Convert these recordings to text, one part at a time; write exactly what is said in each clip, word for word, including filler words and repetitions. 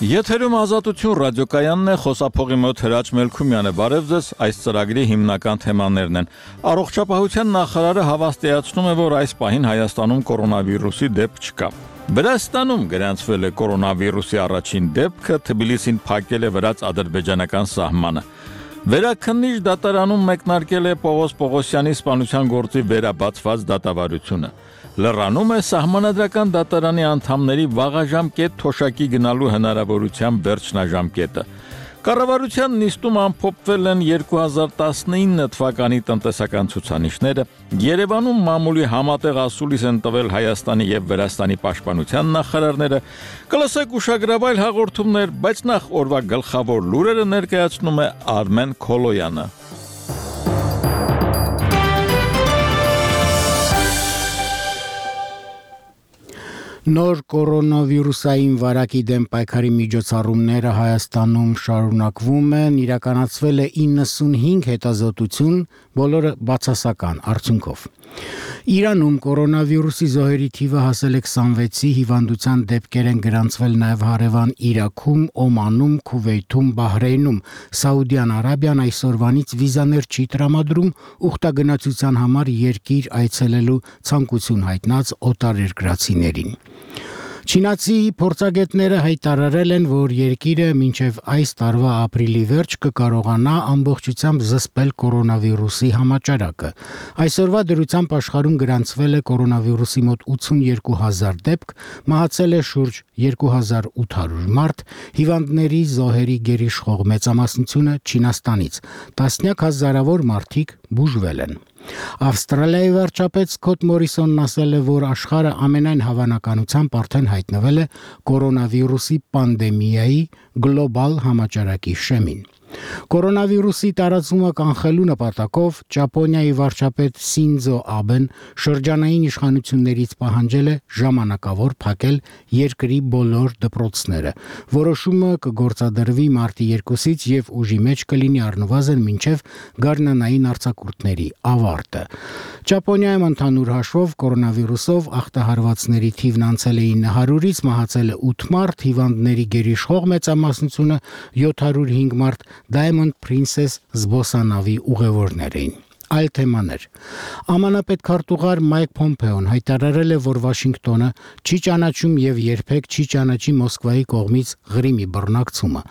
Եթերում Ազատություն ռադիոկայանն է, խոսափողի մոտ Հրաչ Մելքումյանը, բարև ձեզ, այս ծրագրի հիմնական թեմաներն են։ Առողջապահության նախարարը հավաստիացնում է, որ այս պահին Հայաստանում կորոնավիրուսի դեպք չկա։ Վրաստանում գրանցվել է կորոնավիրուսի առաջին դեպքը, Թբիլիսին փակել է վրաց-ադրբեջանական սահմանը։ Վերաքննիչ դատարանում մեկնարկել է Պողոս Պողոսյանի սպանության գործի վերաբացված դատավարությունը։ Լռանում է Սահմանադրական դատարանի անդամների վաղաժամկետ թոշակի գնալու հնարավորության վերջնաժամկետը։ Կառավարության նիստում ամփոփվել են երկու հազար տասնինը թվականի տնտեսական ցուցանիշները, Երևանում մամուլի համատեղ ասուլիս են տվել Հայաստանի եւ Վրաստանի պաշտպանության նախարարները, կլսեք ուշագրավայր հաղորդումներ, բայց նախ օրվա գլխավոր լուրերը ներկայացնում է Արմեն Քոլոյանը։ Նոր կորոնավիրուսային վարակի դեմ պայքարի միջոցառումները Հայաստանում շարունակվում են, իրականացվել է իննսունհինգ հետազոտություն, բոլորը բացասական արդյունքով։ Իրանում կորոնավիրուսի զոհերի թիվը հասել է քսանվեցի, հիվանդության դեպքեր են գրանցվել նաև հարևան Իրաքում, Օմանում, Քուվեյթում, Բահրեյնում։ Սաուդյան Արաբիան այսօրվանից վիզաներ չի տրամադրում ուխտագնացության համար երկիր այցելելու ցանկություն հայտնած օտարերկրացիներին։ Չինացի փորձագետները հայտարարել են, որ երկիրը մինչև այս տարվա ապրիլի վերջ կկարողանա ամբողջությամբ զսպել կորոնավիրուսի համաճարակը։ Այսօրվա դրությամբ աշխարհում գրանցվել է կորոնավիրուսի մոտ ութսունեքու հազար դեպք, մահացել է շուրջ երկու հազար ութ հարյուր մարդ, հիվանդների զոհերի գերիշխող մեծամասնությունը Չինաստանից, տասնյակ հազարավոր մարդիկ բուժվել են։ Ավստրալիայի վարչապետ Սքոթ Մորիսոնն ասել է, որ աշխարհը ամենայն հավանականությամբ արդեն հայտնվել է կորոնավիրուսի պանդեմիայի գլոբալ համաճարակի շեմին։ Կորոնավիրուսի տարածումը կանխելու նպատակով Ճապոնիայի վարչապետ Սինձո Աբեն շրջանային իշխանություններից պահանջել է ժամանակավոր փակել երկրի բոլոր դպրոցները։ Որոշումը կգործադրվի մարտի երկուսից եւ ուժի մեջ կլինի առնվազն մինչեւ գարնանային արձակուրդների ավարտը։ Ճապոնիայում ընդհանուր հաշվով կորոնավիրուսով ախտահարվածների թիվն անցել է ինը հարյուրից, մահացել է ութ մարդ, հիվանդների գերիշխող մեծամասնությունը յոթ հարյուր հինգ մարդ Diamond Princess զբոսանավի ուղևորներ էին։ Այլ թեմաներ։ ԱՄՆ պետքարտուղար Մայք Փոմփեոն հայտարարել է, որ Վաշինգտոնը չի ճանաչում եւ երբեք չի ճանաչի Մոսկվայի կողմից Ղրիմի բռնակցումը։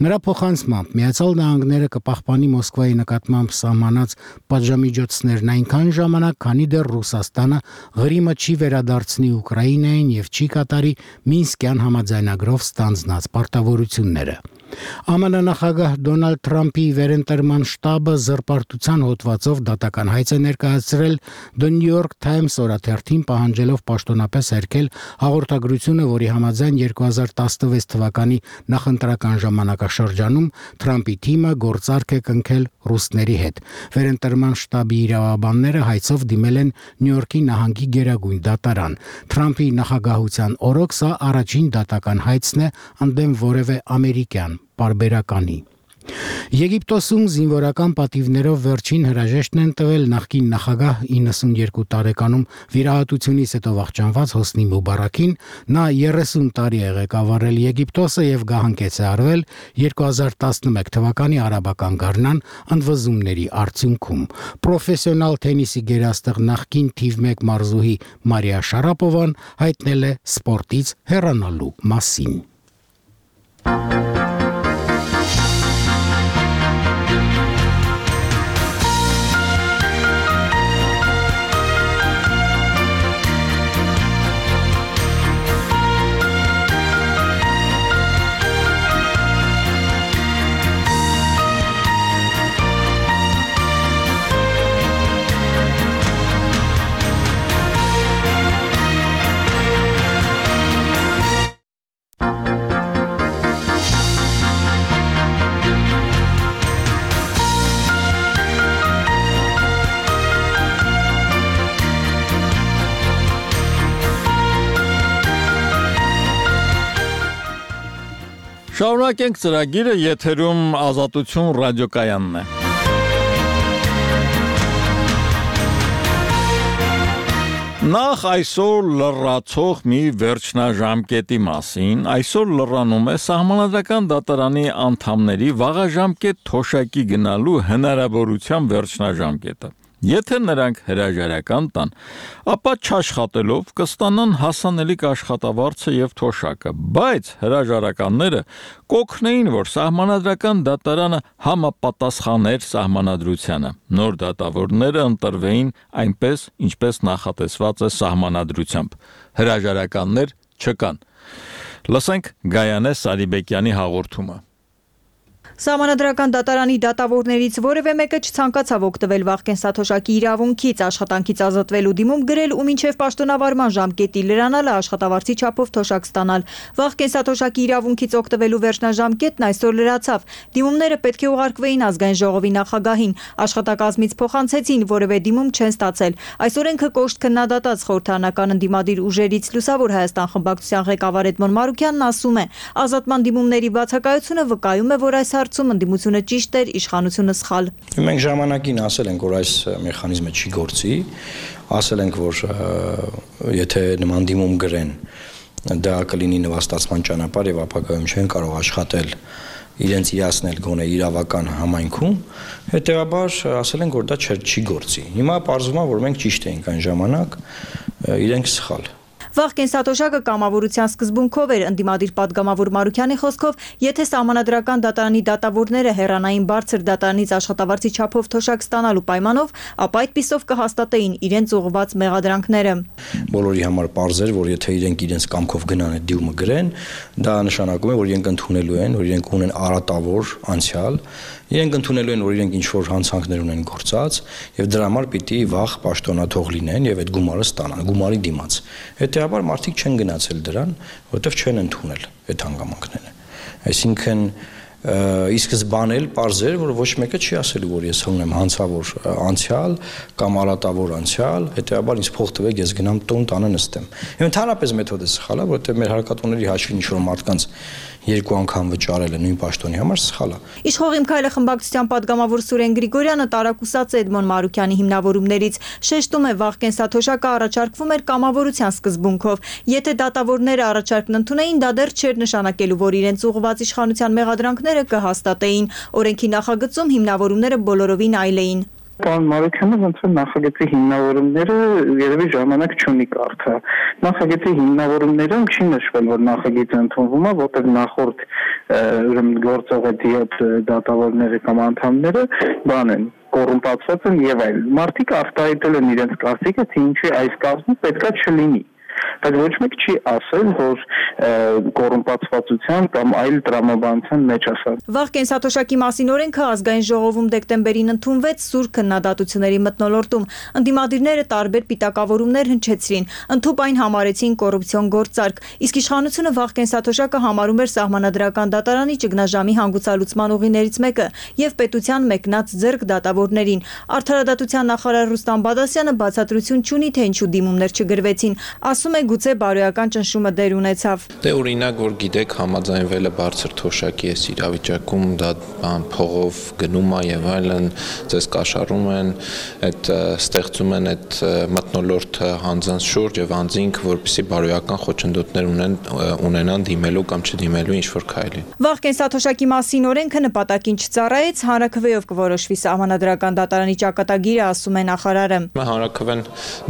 Նրա փոխանցմամբ Միացյալ Նահանգները կպահպանի Մոսկվայի նկատմամբ սահմանած պատժամիջոցներն այնքան ժամանակ, քանի դեռ Ռուսաստանը Ղրիմը չի վերադարձնի Ուկրաինային եւ չի կատարի Մինսկյան համաձայնագրով ստանձնած պարտավորությունները։ ԱՄՆ նախագահ Դոնալդ Թրամփի վերընտրման շտաբը զրպարտության հոդվածով դատական հայց է ներկայացրել The New York Times օրաթերթին, պահանջելով պաշտոնապես հերքել հաղորդագրությունը, որի համաձայն երկու հազար տասնվեց թվականի նախընտրական ժամանակաշրջանում Թրամփի թիմը գործարք է կնքել ռուսների հետ։ Վերընտրման շտաբի իրավաբանները հայցով դիմել են Նյու Յորքի նահանգի գերագույն դատարան։ Թրամփի նախագահության օրոք սա առաջին դատական հայցն է ընդդեմ որևէ ամերիկյան պարբերականի։ Եգիպտոսում զինվորական պատիվներով վերջին հրաժեշտն են տվել նախկին նախագահ իննսունեքու տարեկանում վիրահատությունից հետո վախճանված Հոսնի Մուբարաքին։ Նա երեսուն տարի է ղեկավարել Եգիպտոսը եւ գահանկեց է արվել երկու հազար տասնմեկ թվականի արաբական գարնան ընդվզումների արդյունքում։ Պրոֆեսիոնալ թենիսի գերաստղ նախկին թիվ մեկ մարզուհի Մարիա Շարապովան հայտնել է սպորտից հեռանալու մասին։ Շարունակենք ծրագիրը, եթերում Ազատություն ռադիոկայանն է։ Նախ այսօր լրացող մի վերջնաժամկետի մասին, այսօր լրանում է Սահմանադրական դատարանի անդամների վաղաժամկետ թոշակի գնալու հնարավորության վերջնաժամկետը։ Եթե նրանք հրաժարական տան, ապա չաշխատելով կստանան հասանելիք աշխատավարձը եւ թոշակը, բայց հրաժարականները կօգնեին, որ Սահմանադրական դատարանը համապատասխաներ Սահմանադրությանը։ Նոր դատավորները ընտրվեին այնպես, ինչպես նախատեսված է Սահմանադրությամբ։ Հրաժարականներ չկան։ Լսենք Գայանե Սարիբեկյանի հաղորդումը։ Սահմանադրական դատարանի դատավորներից որևէ մեկը չցանկացավ օգտվել վաղկեն սաթոշակի իրավունքից, աշխատանքից ազատվելու դիմում գրել ու մինչև պաշտոնավարման ժամկետի լրանալը աշխատավարձի չափով թոշակ ստանալ։ Վաղկեն սաթոշակի իրավունքից օգտվելու վերջնաժամկետն այսօր լրացավ։ Դիմումները պետք է ուղարկվեին ազգային ժողովի նախագահին, աշխատակազմից փոխանցեցին, որևէ դիմում չեն ստացել։ Այս օրենքը կոշտ քննադատած խորհրդարանական ընդդիմադիր ուժերից Լուսավոր Հայաստան խմբակցության ղեկավար Էդմոն Մարուկյանն ասում է, ազատման դիմումների բացակայությունը վկայում է, որ այս հարցում ընդդիմությունը ճիշտ էր, իշխանությունը սխալ։ Մենք ժամանակին ասել ենք, որ այս մեխանիզմը չի գործի, ասել ենք, որ եթե նման դիմում գրեն, դա կլինի նվաստացման ճանապարհ եւ ապագայում չեն կարող աշխատել իրենց իրացնել գոնե իրավական համայնքում, հետեւաբար ասել ենք, որ դա չի գործի։ Հիմա պարզվում է, որ մենք ճիշտ էինք այն ժամանակ, իրենք սխալ։ Վաղկեն սաթոշակը կամավորության սկզբունքով էր, ընդդիմադիր պատգամավոր Մարուկյանի խոսքով, եթե Սահմանադրական դատարանի դատավորները հեռանային բարձր դատարանից աշխատավարձի չափով թոշակ ստանալու պայմանով, ապա այդպիսով կհաստատեին իրենց ուղղված մեղադրանքները։ Բոլորի համար պարզ էր, որ եթե իրենք իրենց կամքով գնան այդ դիմումը գրեն, դա նշանակում է, որ իրենք ընդունելու են, որ իրենք ունեն արատավոր անցյալ, իրենք ընդունելու են, որ իրենք ինչ-որ հանցանքներ ունեն գործած, եւ դրա համար պիտի վաղ պաշտոնաթող լինեն եւ այդ գումարը ստանան, գումարի դիմաց։ Հետեւաբար մարդիկ չեն գնացել դրան, որովհետեւ չեն ընդունել այդ հանգամանքները։ Այսինքն ի սկզբանե էլ պարզ էր, որ ոչ մեկը չի ասելու, որ ես ունեմ հանցավոր անցյալ կամ արատավոր անցյալ, հետեւաբար ինձ փող տվեք, ես գնամ տուն տանը նստեմ։ Եվ ընդհանրապես մեթոդը սխալ է, որովհետեւ մեր հարկատուների հաշվին ինչ-որ մարդկանց երկու անգամ վճարելը նույն պաշտոնի համար սխալ է։ Իշխող Իմ քայլը խմբակցության պատգամավոր Սուրեն Գրիգորյանը տարակուսած է Էդմոն Մարուկյանի հիմնավորումներից, շեշտում է վաղկեն սաթոշակը առաջարկվում էր կամավորության սկզբունքով։ Եթե դատավորները առաջարկն ընդունեին, դա դեռ չէր նշանակելու, որ իրենց ուղղված իշխանության մեղադրանքները կհաստատեին։ Օրենքի նախագծում հիմնավորումները բոլորովին այլ էին։ Պարոն Մարուկյանը ոնց որ նախագծի հիմնավորումները երևի ժամանակ չունի կարդա։ Նախագծի հիմնավորումներում չի նշվել, որ նախագիծը ընդունվում է, որտեղ նախորդ ուրեմն գործող այդ դատավորները կամ անդամները բան են կոռումպացված են եւ այլ։ Մարդիկ արտահայտել են իրենց կարծիքը, թե ինչի այս կազմը պետքա չլինի։ Բայց ոչ մեկ չի ասել, որ կոռումպացվածության կամ այլ տրամաբանության մեջ ասած։ Վաղկեն սաթոշակի մասին օրենքը ազգային ժողովում դեկտեմբերին ընդունվեց սուր քննադատությունների մթնոլորտում։ Ընդդիմադիրները տարբեր պիտակավորումներ հնչեցրին, ընդհուպ այն համարեցին կոռուպցիոն գործարք, իսկ իշխանությունը Վաղկեն սաթոշակը համարում էր Սահմանադրական դատարանի ճգնաժամի հանգուցալուծման ուղիներից մեկը եւ պետության մեկնած ձեռք դատավորներին։ Արդարադատության նախարար Ռուստամ Բադասյանը բացատրություն չունի, թե ինչու դիմումներ չգրվեցին։ Ասում է գուցե բարոյական ճնշումը դեր ունեցավ։ Դե օրինակ, որ գիտեք, համաձայնվել է բարձր թոշակի այս իրավիճակում, դա բան փողով գնում է եւ այլն, ձեզ կաշառում են, այդ ստեղծում են այդ մթնոլորտը հանձանց շուրջ եւ անձինք, որպեսզի բարոյական խոչընդոտներ ունեն ունենան դիմելու կամ չդիմելու ինչ որ քայլի։ Վաղկեն սաթոշակի մասին օրենքը նպատակին չծառայեց, հանրաքվեով կորոշվի Սահմանադրական դատարանի ճակատագիրը, ասում է նախարարը։ Հանրաքվեն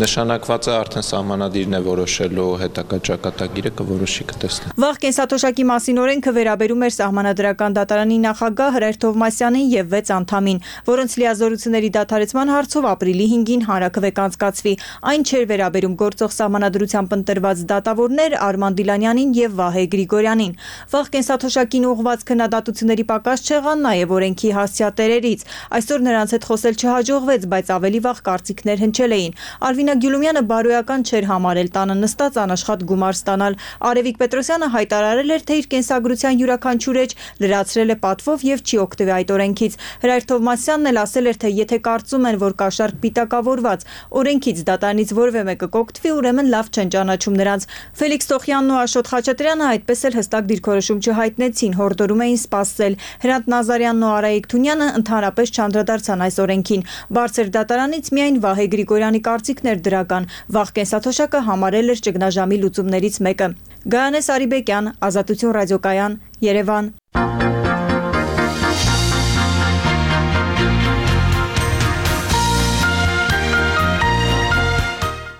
նշանակված է արդեն սահմանադիրն է որոշելու հետագա ճակատագիրը կորոշի կտեսնի։ Վաղկեն սաթոշակի մասին օրենքը վերաբերում էր Սահմանադրական դատարանի նախագահ Հրայր Թովմասյանին եւ վեց անդամին, որոնց լիազորությունների դադարեցման հարցով ապրիլի հինգին հանրաքվե կանցկացվի։ Այն չէր վերաբերում գործող սահմանադրությամբ ընտրված դատավորներ Արման Դիլանյանին եւ Վահե Գրիգորյանին։ Վաղկեն սաթոշակին ուղղված քննադատությունների պակաս չեղան նաեւ օրենքի հասցեատերերից։ Այսօր նրանց հետ խոսել չհաջողվեց, բայց ավելի վաղ կարծիքներ հնչել էին։ Արվինա Գյուլումյանը բարոյական չէր համարել տանը տանը նստած անաշխատ գումար ստանալ։ Արևիկ Պետրոսյանը հայտարարել էր, թե իր կենսագրության յուրաքանչյուր էջ լրացրել է պատվով եւ չի օգտվի այդ օրենքից։ Հրայր Թովմասյանն էլ ասել էր, թե եթե կարծում են, որ կաշառք պիտակավորված օրենքից դատարանից որևէ մեկը կօգտվի, ուրեմն լավ չեն ճանաչում նրանց։ Ֆելիքս Տոխյանն ու Աշոտ Խաչատրյանը այդպես էլ հստակ դիրքորոշում չհայտնեցին, հորդորում էին սպասել։ Հրանտ Նազարյանն ու Արայիկ Թունյանը ընդհանրապես չանդրադարձան այս օրենքին։ Բարձր դատարանից միայն Վահե Գրիգորյանի կարծիքն էր դրական։ Վաղ կենսաթոշակը համարել էր ճգնաժամի լուծումներից մեկը։ Գայանե Սարիբեկյան, Ազատություն ռադիոկայան, Երևան։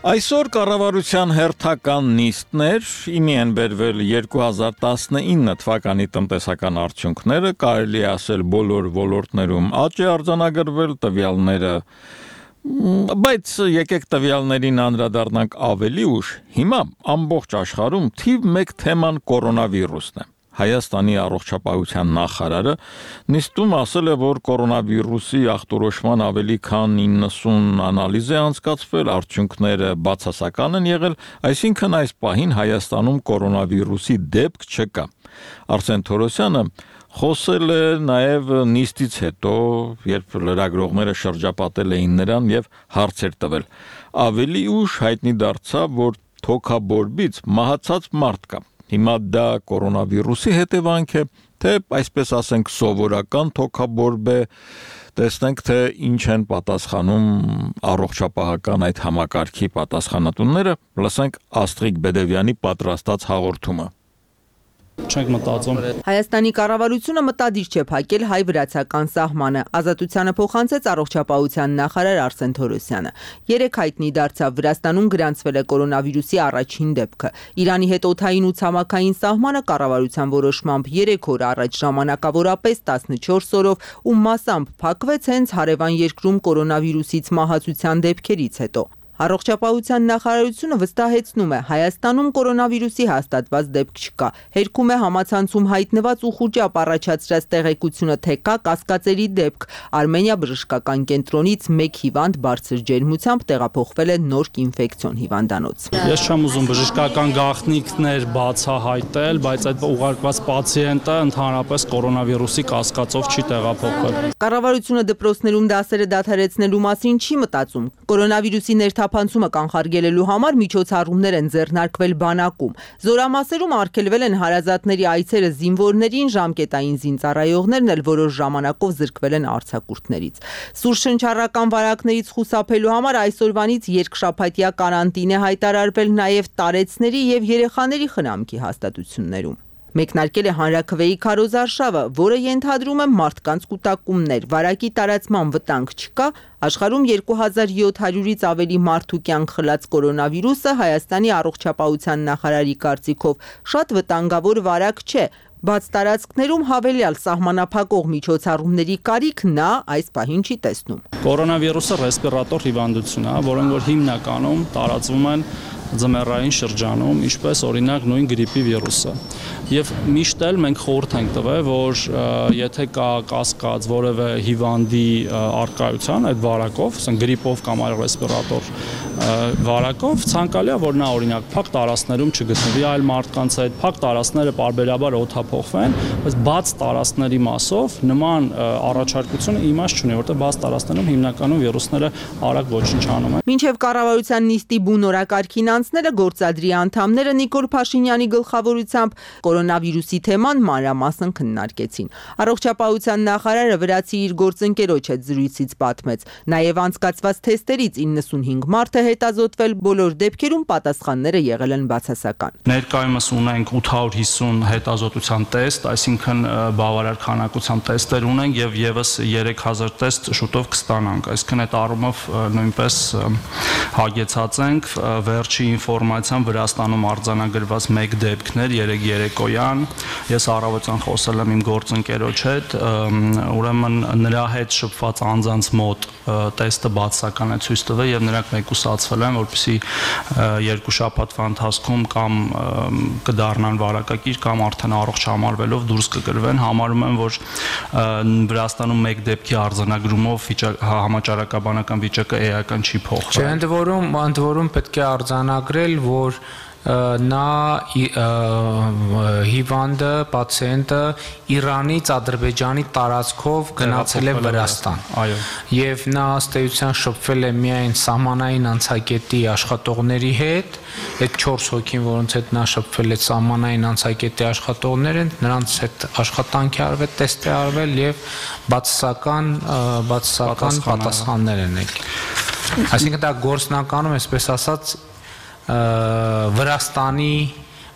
Այսօր կառավարության հերթական նիստներ, իմի են բերվել երկու հազար տասնինը թվականի տնտեսական արդյունքները, կարելի է ասել բոլոր ոլորտներում աճ է արձանագրվել, տվյալները, բայց եկեք տվյալներին անդրադառնանք ավելի ուշ։ Հիմա ամբողջ աշխարհում թիվ մեկ թեման կորոնավիրուսն է։ Հայաստանի առողջապահության նախարարը նիստում ասել է, որ կորոնավիրուսի ախտորոշման ավելի քան իննսուն անալիզ է անցկացվել, արդյունքները բացասական են եղել, այսինքն այս պահին Հայաստանում կորոնավիրուսի դեպք չկա։ Արսեն Թորոսյանը խոսել է նաև նիստից հետո, երբ լրագրողները շրջապատել էին նրան եւ հարցեր տվել։ Ավելի ուշ հայտնի դարձավ, որ թոքաբորբից մահացած մարդ կա։ Հիմա դա կորոնավիրուսի հետևանք է, թե այսպես ասենք սովորական թոքաբորբ է, տեսնենք թե ինչ են պատասխանում առողջապահական այդ համակարգի պատասխանատուները, լսենք Աստրիկ Բեդևյանի պատրաստած հաղորդումը։ Չենք մտածում։ Հայաստանի կառավարությունը մտադիր չէ փակել հայ-վրացական սահմանը։ Ազատությանը փոխանցեց առողջապահության նախարար Արսեն Թորոսյանը։ Երեք հայտնի դարձավ Վրաստանում գրանցվել է կորոնավիրուսի առաջին դեպքը։ Իրանի հետ օդային ու ցամաքային սահմանը կառավարության որոշմամբ երեք օր առաջ ժամանակավորապես տասնչորս օրով ու մասամբ փակվեց հենց հարևան երկրում կորոնավիրուսից մահացության դեպքերից հետո։ Առողջապահության նախարարությունը վստահեցնում է, Հայաստանում կորոնավիրուսի հաստատված դեպք չկա։ Հերքում է համացանցում հայտնված ու խուճապ առաջացրած տեղեկությունը, թե կա կասկածելի դեպք։ Արմենիա բժշկական կենտրոնից մեկ հիվանդ բարձր ջերմությամբ տեղափոխվել է Նորք ինֆեկցիոն հիվանդանոց։ Ես չեմ ուզում բժշկական գաղտնիքներ բացահայտել, բայց այդ ուղարկված պացիենտը ընդհանրապես կորոնավիրուսի կասկածով չի տեղափոխվել։ Կառավարությունը դպրոցներում դասերը դադարեցնելու մասին չի մտածում։ Կորոնավիրուսի ներթափանցումը կանխարգելելու համար միջոցառումներ են ձեռնարկվել բանակում։ Զորամասերում արգելվել են հարազատների այցերը զինվորներին, ժամկետային զինծառայողներն էլ որոշ ժամանակով զրկվել են արձակուրդներից։ Սուր շնչառական վարակներից խուսափելու համար այսօրվանից երկշաբաթյա կարանտին է հայտարարվել նաև տարեցների եւ երեխաների խնամքի հաստատություններում։ Մեկնարկել է հանրաքվեի քարոզարշավը, որը ենթադրում է մարդկանց կուտակումներ, վարակի տարածման վտանգ չկա, աշխարհում երկու հազար յոթ հարյուրից ավելի մարդու կյանք խլած կորոնավիրուսը Հայաստանի առողջապահության նախարարի կարծիքով շատ վտանգավոր վարակ չէ, բաց տարածքներում հավելյալ սահմանափակող միջոցառումների կարիք նա այս պահին չի տեսնում։ Կորոնավիրուսը ռեսպիրատոր հիվանդություն է, որոնք որ հիմնականում տարածվում են ձմեռային շրջանում, ինչպես օրինակ նույն գրիպի վիրուսը։ Եվ միշտ էլ մենք խորհուրդ ենք տվել, որ եթե կա կասկած որևէ հիվանդի արկայության այդ վարակով, ասենք գրիպով կամ այլ ռեսպիրատոր վարակով, ցանկալի է, որ նա օրինակ փակ տարածքներում չգտնվի այլ մարդկանց հետ, փակ տարածքները պարբերաբար օդափոխվեն, բայց բաց տարածքների մասով նման առաջարկությունը իմաստ չունի, որտեղ բաց տարածքներում հիմնականում վիրուսները արագ ոչնչանում են։ Մինչև կառավարության նիստի բուն օրակարգին անցնելը գործադրի անդամները Նիկոլ Փաշինյանի գլխավորությամբ կորոնավիրուսի թեման մանրամասն քննարկեցին։ Առողջապահության նախարարը վրացի իր գործընկերոջ հետ զրույցից պատմեց։ Նաև անցկացված թեստերից իննսունհինգ մարդ է հետազոտվել, բոլոր դեպքերում պատասխանները եղել են բացասական։ Ներկայումս ունենք ութ հարյուր հիսուն հետազոտության տեստ, այսինքն բավարար քանակությամբ տեստեր ունենք եւ եւս երեք հազար տեստ շուտով կստանանք։ Այսինքն այդ առումով նույնպես հագեցած ենք վերջի ինֆորմացիան Վրաստանում արձանագրված մեկ դեպքներ երեք երեկոյան։ Ես առավոտյան խոսել եմ իմ գործընկերոջ հետ, ուրեմն նրա հետ շփված անձանց մոտ տեստը բացասական է ցույց տվել եւ նրանք մեկուսացվել են, որպեսզի երկու շաբաթվա ընթացքում կամ կդառնան վարակակիր կամ արդեն առողջ համարվելով դուրս կգրվեն։ Համարում եմ, որ Վրաստանում մեկ դեպքի արձանագրումով համաճարակաբանական վիճակը էական չի փոխվել։ Չէ, ընդ որում, ընդ որում պետք է արձանա արձանագրել, որ նա հիվանդը, պացիենտը Իրանից Ադրբեջանի տարածքով գնացել է Վրաստան։ Այո։ Եվ նա ըստ էության շփվել է միայն սահմանային անցակետի աշխատողների հետ, այդ չորս հոգին, որոնց հետ նա շփվել է սահմանային անցակետի աշխատողները, նրանց հետ աշխատանք է արվել, տեստ է արվել եւ բացասական բացասական պատասխաններ են եկել։ Այսինքն դա գործնականում, այսպես ասած, Վրաստանի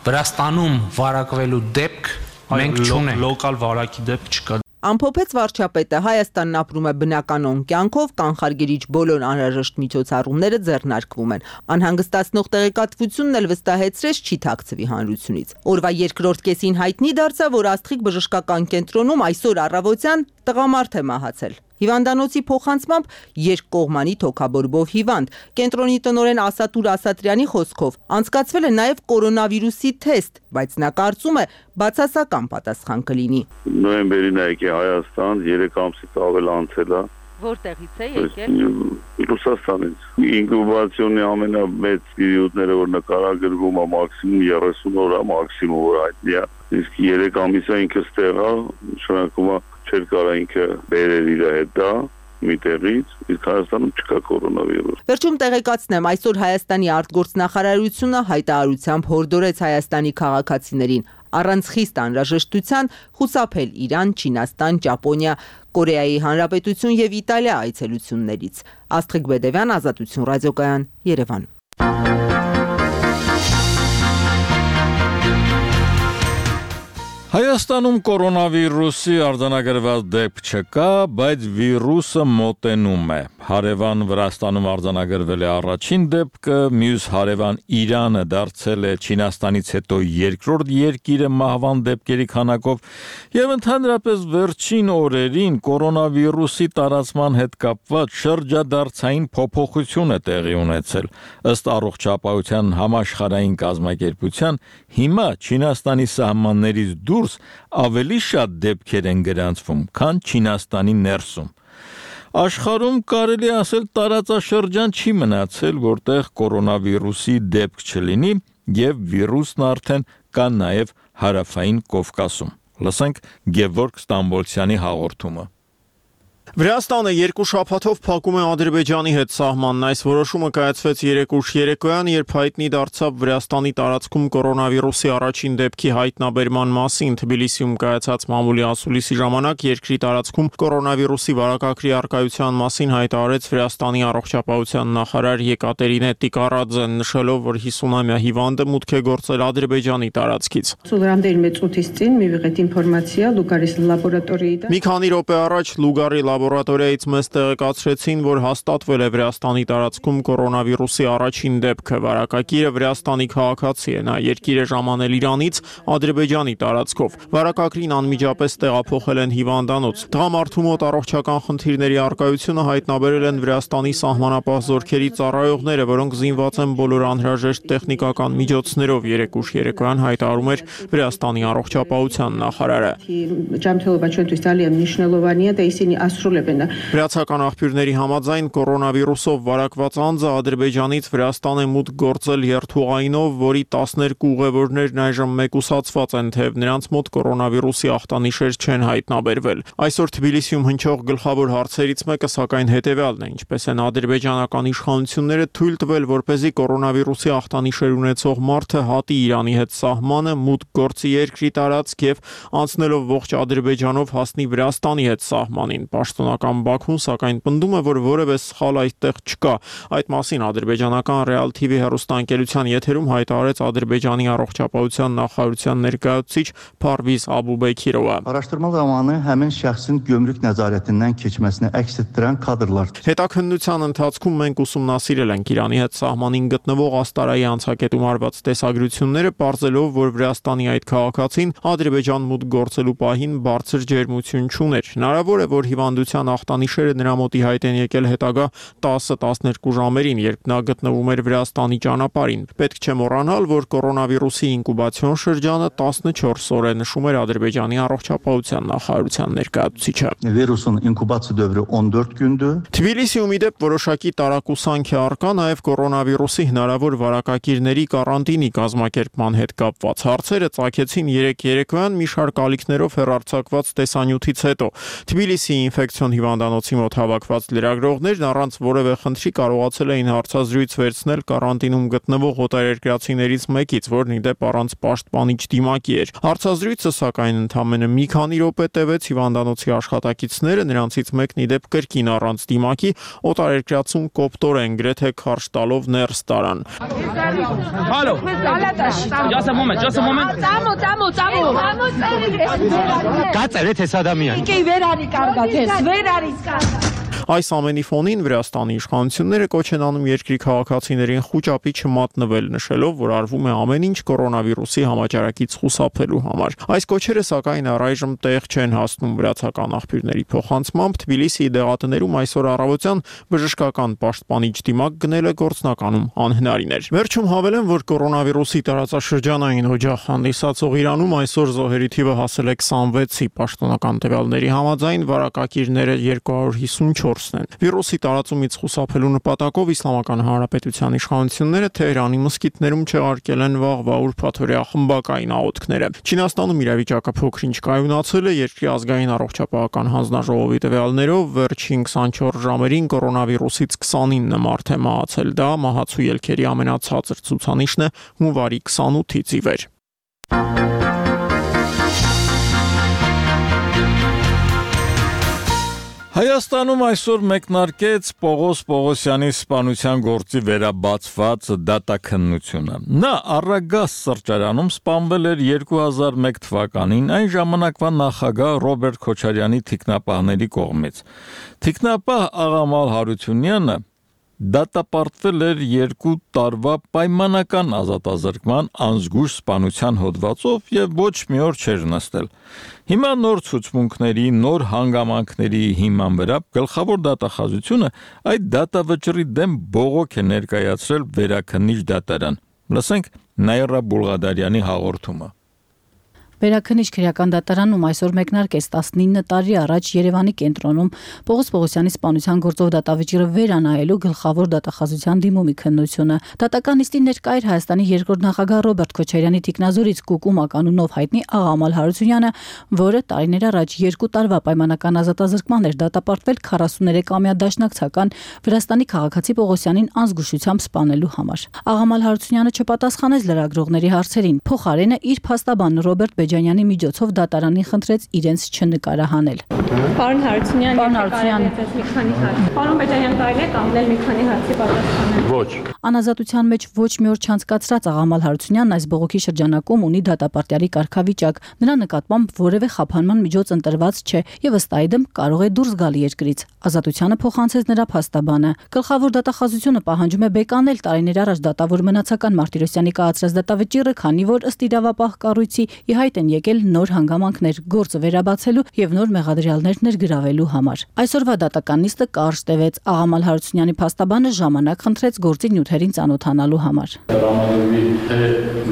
Վրաստանում վարակվելու դեպք մենք չունենք, լոկալ վարակի դեպք չկա։ Ամփոփեց վարչապետը, Հայաստանն ապրում է բնականոն կյանքով, կանխարգելիչ բոլոր անհրաժեշտ միջոցառումները ձեռնարկվում են։ Անհանգստացնող տեղեկատվությունն էլ վստահեցրեց չի թաքցվի հանրությունից։ Օրվա երկրորդ կեսին հայտնի դարձավ, որ Աստղիկ բժշկական կենտրոնում այսօր առավոտյան տղամարդ է մահացել։ Հիվանդանոցի փոխանցմամբ երկկողմանի թոքաբորբով հիվանդ։ Կենտրոնի տնօրեն Ասատուր Ասատրյանի խոսքով անցկացվել է նաև կորոնավիրուսի թեստ, բայց նա կարծում է բացասական պատասխան կլինի։ Նոյեմբերին է եկել Հայաստան, երեք ամսից ավել անցել է։ Որտեղից է եկել։ Ռուսաստանից։ Ինկուբացիոնի ամենամեծ պերիոդները, որ նկարագրվում է մաքսիմում երեսուն օր, մաքսիմում որ հայտնի է։ Իսկ երեք ամիսը ինքը ստեղ է, նշանակում է չէր կարա ինքը բերել իր հետ դա մի տեղից, իսկ Հայաստանում չկա կորոնավիրուս։ Վերջում տեղեկացնեմ, այսօր Հայաստանի արտգործնախարարությունը հայտարարությամբ հորդորեց Հայաստանի քաղաքացիներին առանց խիստ անհրաժեշտության խուսափել Իրան, Չինաստան, Ճապոնիա, Կորեայի Հանրապետություն եւ Իտալիա այցելություններից։ Աստղիկ Բեդևյան, Ազատություն ռադիոկայան, Երևան։ Հայաստանում կորոնավիրուսի արձանագրված դեպք չկա, բայց վիրուսը մոտենում է։ Հարևան Վրաստանում արձանագրվել է առաջին դեպքը, մյուս հարևան Իրանը դարձել է Չինաստանից հետո երկրորդ երկիրը մահվան դեպքերի քանակով, եւ ընդհանրապես վերջին օրերին կորոնավիրուսի տարածման հետ կապված շրջադարձային փոփոխություն է տեղի ունեցել։ Ըստ Առողջապահության համաշխարհային կազմակերպության, հիմա Չինաստանի սահմաններից դուրս ավելի շատ դեպքեր են գրանցվում, քան Չինաստանի ներսում։ Աշխարհում կարելի ասել տարածաշրջան չի մնացել, որտեղ կորոնավիրուսի դեպք չլինի, եւ վիրուսն արդեն կա նաեւ հարավային Կովկասում։ Լսենք Գևորգ Ստամբոլցյանի հաղորդումը։ Վրաստանը երկու շաբաթով փակում է Ադրբեջանի հետ սահմանն։ Այս որոշումը կայացվեց երեկ ուշ երեկոյան, երբ հայտնի դարձավ Վրաստանի տարածքում կորոնավիրուսի առաջին դեպքի հայտնաբերման մասին։ Թբիլիսիում կայացած մամուլի ասուլիսի ժամանակ երկրի տարածքում կորոնավիրուսի վարակագրի առկայության մասին հայտարարեց Վրաստանի առողջապահության նախարար Եկատերինե Տիկարաձեն, նշելով, որ հիսունամյա հիվանդը մուտք է գործել Ադրբեջանի տարածքից։ Մի քանի րոպե առաջ Լուգարի լաբորատորիայից մեզ տեղեկացրեցին, որ հաստատվել է Վրաստանի տարածքում կորոնավիրուսի առաջին դեպքը։ Վարակագիրը Վրաստանի քաղաքացի է, նա երկիր է ժամանել Իրանից Ադրբեջանի տարածքով։ Վարակագրին անմիջապես տեղափոխել են հիվանդանոց։ Տղամարդու մոտ առողջական խնդիրների առկայությունը հայտնաբերել են Վրաստանի սահմանապահ զորքերի ծառայողները, որոնք զինված են բոլոր անհրաժեշտ տեխնիկական միջոցներով, երեկ ուշ երեկոյան հայտարարում էր Վրաստանի առողջապահության նախարարը։ Վրացական աղբյուրների համաձայն կորոնավիրուսով վարակված անձը Ադրբեջանից Վրաստան է մուտք գործել երթուղայինով, որի տասներկու ուղևորներն այժմ մեկուսացված են, թեև նրանց մոտ կորոնավիրուսի ախտանիշեր չեն հայտնաբերվել։ Այսօր Թբիլիսիում հնչող գլխավոր հարցերից մեկը սակայն հետևյալն է. ինչպես են ադրբեջանական իշխանությունները թույլ տվել, որպեսզի կորոնավիրուսի ախտանիշեր ունեցող մարդը հատի Իրանի հետ սահմանը, մուտք գործի երկրի տարածք եւ անցնելով ողջ Ադրբեջանով հասնի Վրաստանի հետ սահմանին։ Պաշտոնական Բաքուն սակայն պնդում է, որ որևէ սխալ այդտեղ չկա։ Այդ մասին ադրբեջանական Real T V հեռուստաընկերության եթերում հայտարարեց Ադրբեջանի առողջապահության նախարարության ներկայացուցիչ Փարվիզ Աբուբեքիրովը։ Araştırma zamanı həmin şəxsin gömrük nəzarətindən keçməsini əks etdirən kadrlar. Հետաքննության ընթացքում մենք ուսումնասիրել ենք Իրանի հետ սահմանին գտնվող Աստարայի անցակետում արված տեսագրությունները, պարզելով, որ Վրաստանի այդ քաղաքացին Ադրբեջան մուտք գործելու պահին բարձր ջերմություն չուներ։ Հնարավոր է, որ հիվանդության խոցելիության ախտանիշերը նրա մոտ ի հայտ են եկել հետագա տասը տասներկու ժամերին, երբ նա գտնվում էր Վրաստանի ճանապարհին։ Պետք չէ մոռանալ, որ կորոնավիրուսի ինկուբացիոն շրջանը տասնչորս օր է, նշում էր Ադրբեջանի առողջապահության նախարարության ներկայացուցիչը։ Վիրուսın inkubasiya dövrü on dört gündü. Թբիլիսիում իդեպ որոշակի տարակուսանք է առկա նաև կորոնավիրուսի հնարավոր վարակակիրների կարանտինի կազմակերպման հետ կապված։ Հարցերը ծագեցին երեք երեկոյան մի շարք ալիքներով հեռարձակված տեսանյութից հետո։ Թբիլիսիի ինֆեկցիոն հիվանդանոցի մոտ հավաքված լրագրողներն առանց որևէ խնդրի կարողացել էին հարցազրույց վերցնել կարանտինում գտնվող օտարերկրացիներից մեկից, որն իդեպ առանց պաշտպանիչ դիմակի էր։ Հարցազրույցը սակայն ընդամենը մի քանի րոպե տևեց, հիվանդանոցի աշխատակիցները, նրանցից մեկն իդեպ կրկին առանց դիմակի օտարերկրացուն կոպտորեն գրեթե քարշ տալով ներս տարան։ Հալո։ Just a moment, just a moment. Ծամո, ծամո, ծամո։ Կացել է թե Սադամյան։ Իքի վեր արի կարգա, ես վեր արի կարգա։ Այս ամենի ֆոնին Վրաստանի իշխանությունները կոչ են անում երկրի քաղաքացիներին խուճապի չմատնվել, նշելով, որ արվում է ամեն ինչ կորոնավիրուսի համաճարակից խուսափելու համար։ Այս կոչերը սակայն առայժմ տեղ չեն հասնում վրացական աղբյուրների փոխանցմամբ։ Թբիլիսիի դեղատներում այսօր առավոտյան բժշկական պաշտպանիչ դիմակ գնելը գործնականում անհնարին էր։ Վերջում հավելեմ, որ կորոնավիրուսի տարածաշրջանային օջախ հանդիսացող Իրանում այսօր զոհերի թիվը հասել է քսանվեցի, պաշտոնական տվյալների համաձայն վարակակիրները երկու հարյուր հիսունչորսն են։ Վիրուսի տարածումից խուսափելու նպատակով Իսլամական Հանրապետության իշխանությունները Թեհրանի մզկիթներում չեղարկել են վաղվա ուրբաթօրյա խմբակային աղոթքները։ Չինաստանում իրավիճակը փոքր-ինչ կայունացել է, երկրի ազգային առողջապահական հանձնաժողովի տվյալներով վերջին քսանչորս ժամերին կորոնավիրուսից քսանինը մարդ է մահացել։ Դա մահացու ելքերի ամենացածր ցուցանիշն է հունվարի քսանութից ի վեր։ Հայաստանում այսօր մեկնարկեց Պողոս Պողոսյանի սպանության գործի վերաբացված դատաքննությունը։ Նա Առագաս սրճարանում սպանվել էր երկու հազար մեկ թվականին այն ժամանակվա նախագահ Ռոբերտ Քոչարյանի թիկնապահների կողմից։ Թիկնապահ Աղամալ Հարությունյանը դատապարտվել էր երկու տարվա պայմանական ազատազրկման անզգույշ սպանության հոդվածով եւ ոչ մի օր չէր նստել։ Հիմա նոր ցուցմունքների, նոր հանգամանքների հիման վրա գլխավոր դատախազությունը այդ դատավճռի դեմ բողոք է ներկայացրել Վերաքննիչ դատարան։ Լսենք Նաիրա Բուլղադարյանի հաղորդումը։ Վերաքննիչ քրեական դատարանում այսօր մեկնարկեց տասնինը տարի առաջ Երևանի կենտրոնում Պողոս Պողոսյանի սպանության գործով դատավճիռը վերանայելու գլխավոր դատախազության դիմումի քննությունը։ Դատական նիստին ներկա էր Հայաստանի երկրորդ նախագահ Ռոբերտ Քոչարյանի թիկնազորից Կուկու Մականունով հայտնի Աղամալ Հարությունյանը, որը տարիներ առաջ երկու տարվա պայմանական ազատազրկման էր դատապարտվել քառասուներեքամյա դաշնակցական Վրաստանի քաղաքացի Պողոսյանին անզգուշությամբ սպանելու համար։ Աղամալ Հարությունյանը չպատասխանեց լրագրողների հարցերին։ Փոխարենը իր փաստաբան Ռոբերտ Բեջանյանի միջոցով դատարանին խնդրեց իրենց չնկարահանել։ Պարոն Հարությունյան, պարոն Հարությունյան, մի քանի հարց։ Պարոն Բեջանյան, կարելի է կանգնել մի քանի հարցի պատասխանել։ Ոչ։ Անազատության մեջ ոչ մի օր չանցկացրած Աղամալ Հարությունյանն այս բողոքի շրջանակում ունի դատապարտյալի կարգավիճակ։ Նրա նկատմամբ որևէ խափանման միջոց ընտրված չէ եւ ըստ այդմ կարող է դուրս գալ երկրից։ Ազատությանը փոխանցեց նրա փաստաբանը։ Գլխավոր դատախազությունը պահանջում է բեկանել տարիներ առաջ դատավոր մնացական Մարտիրոսյանի կայացրած դատավճիռը, քանի որ ըստ իրավապահ կառույցի ի հայտ են եկել նոր հանգամանքներ գործը վերաբացելու եւ նոր մեղադրյալներ ներգրավելու համար։ Այսօրվա դատական նիստը կարճ տևեց։ Աղամալ Հարությունյանի փաստաբանը ժամանակ խնդրեց գործի նյութերին ծանոթանալու համար։ Հրամանագրի թե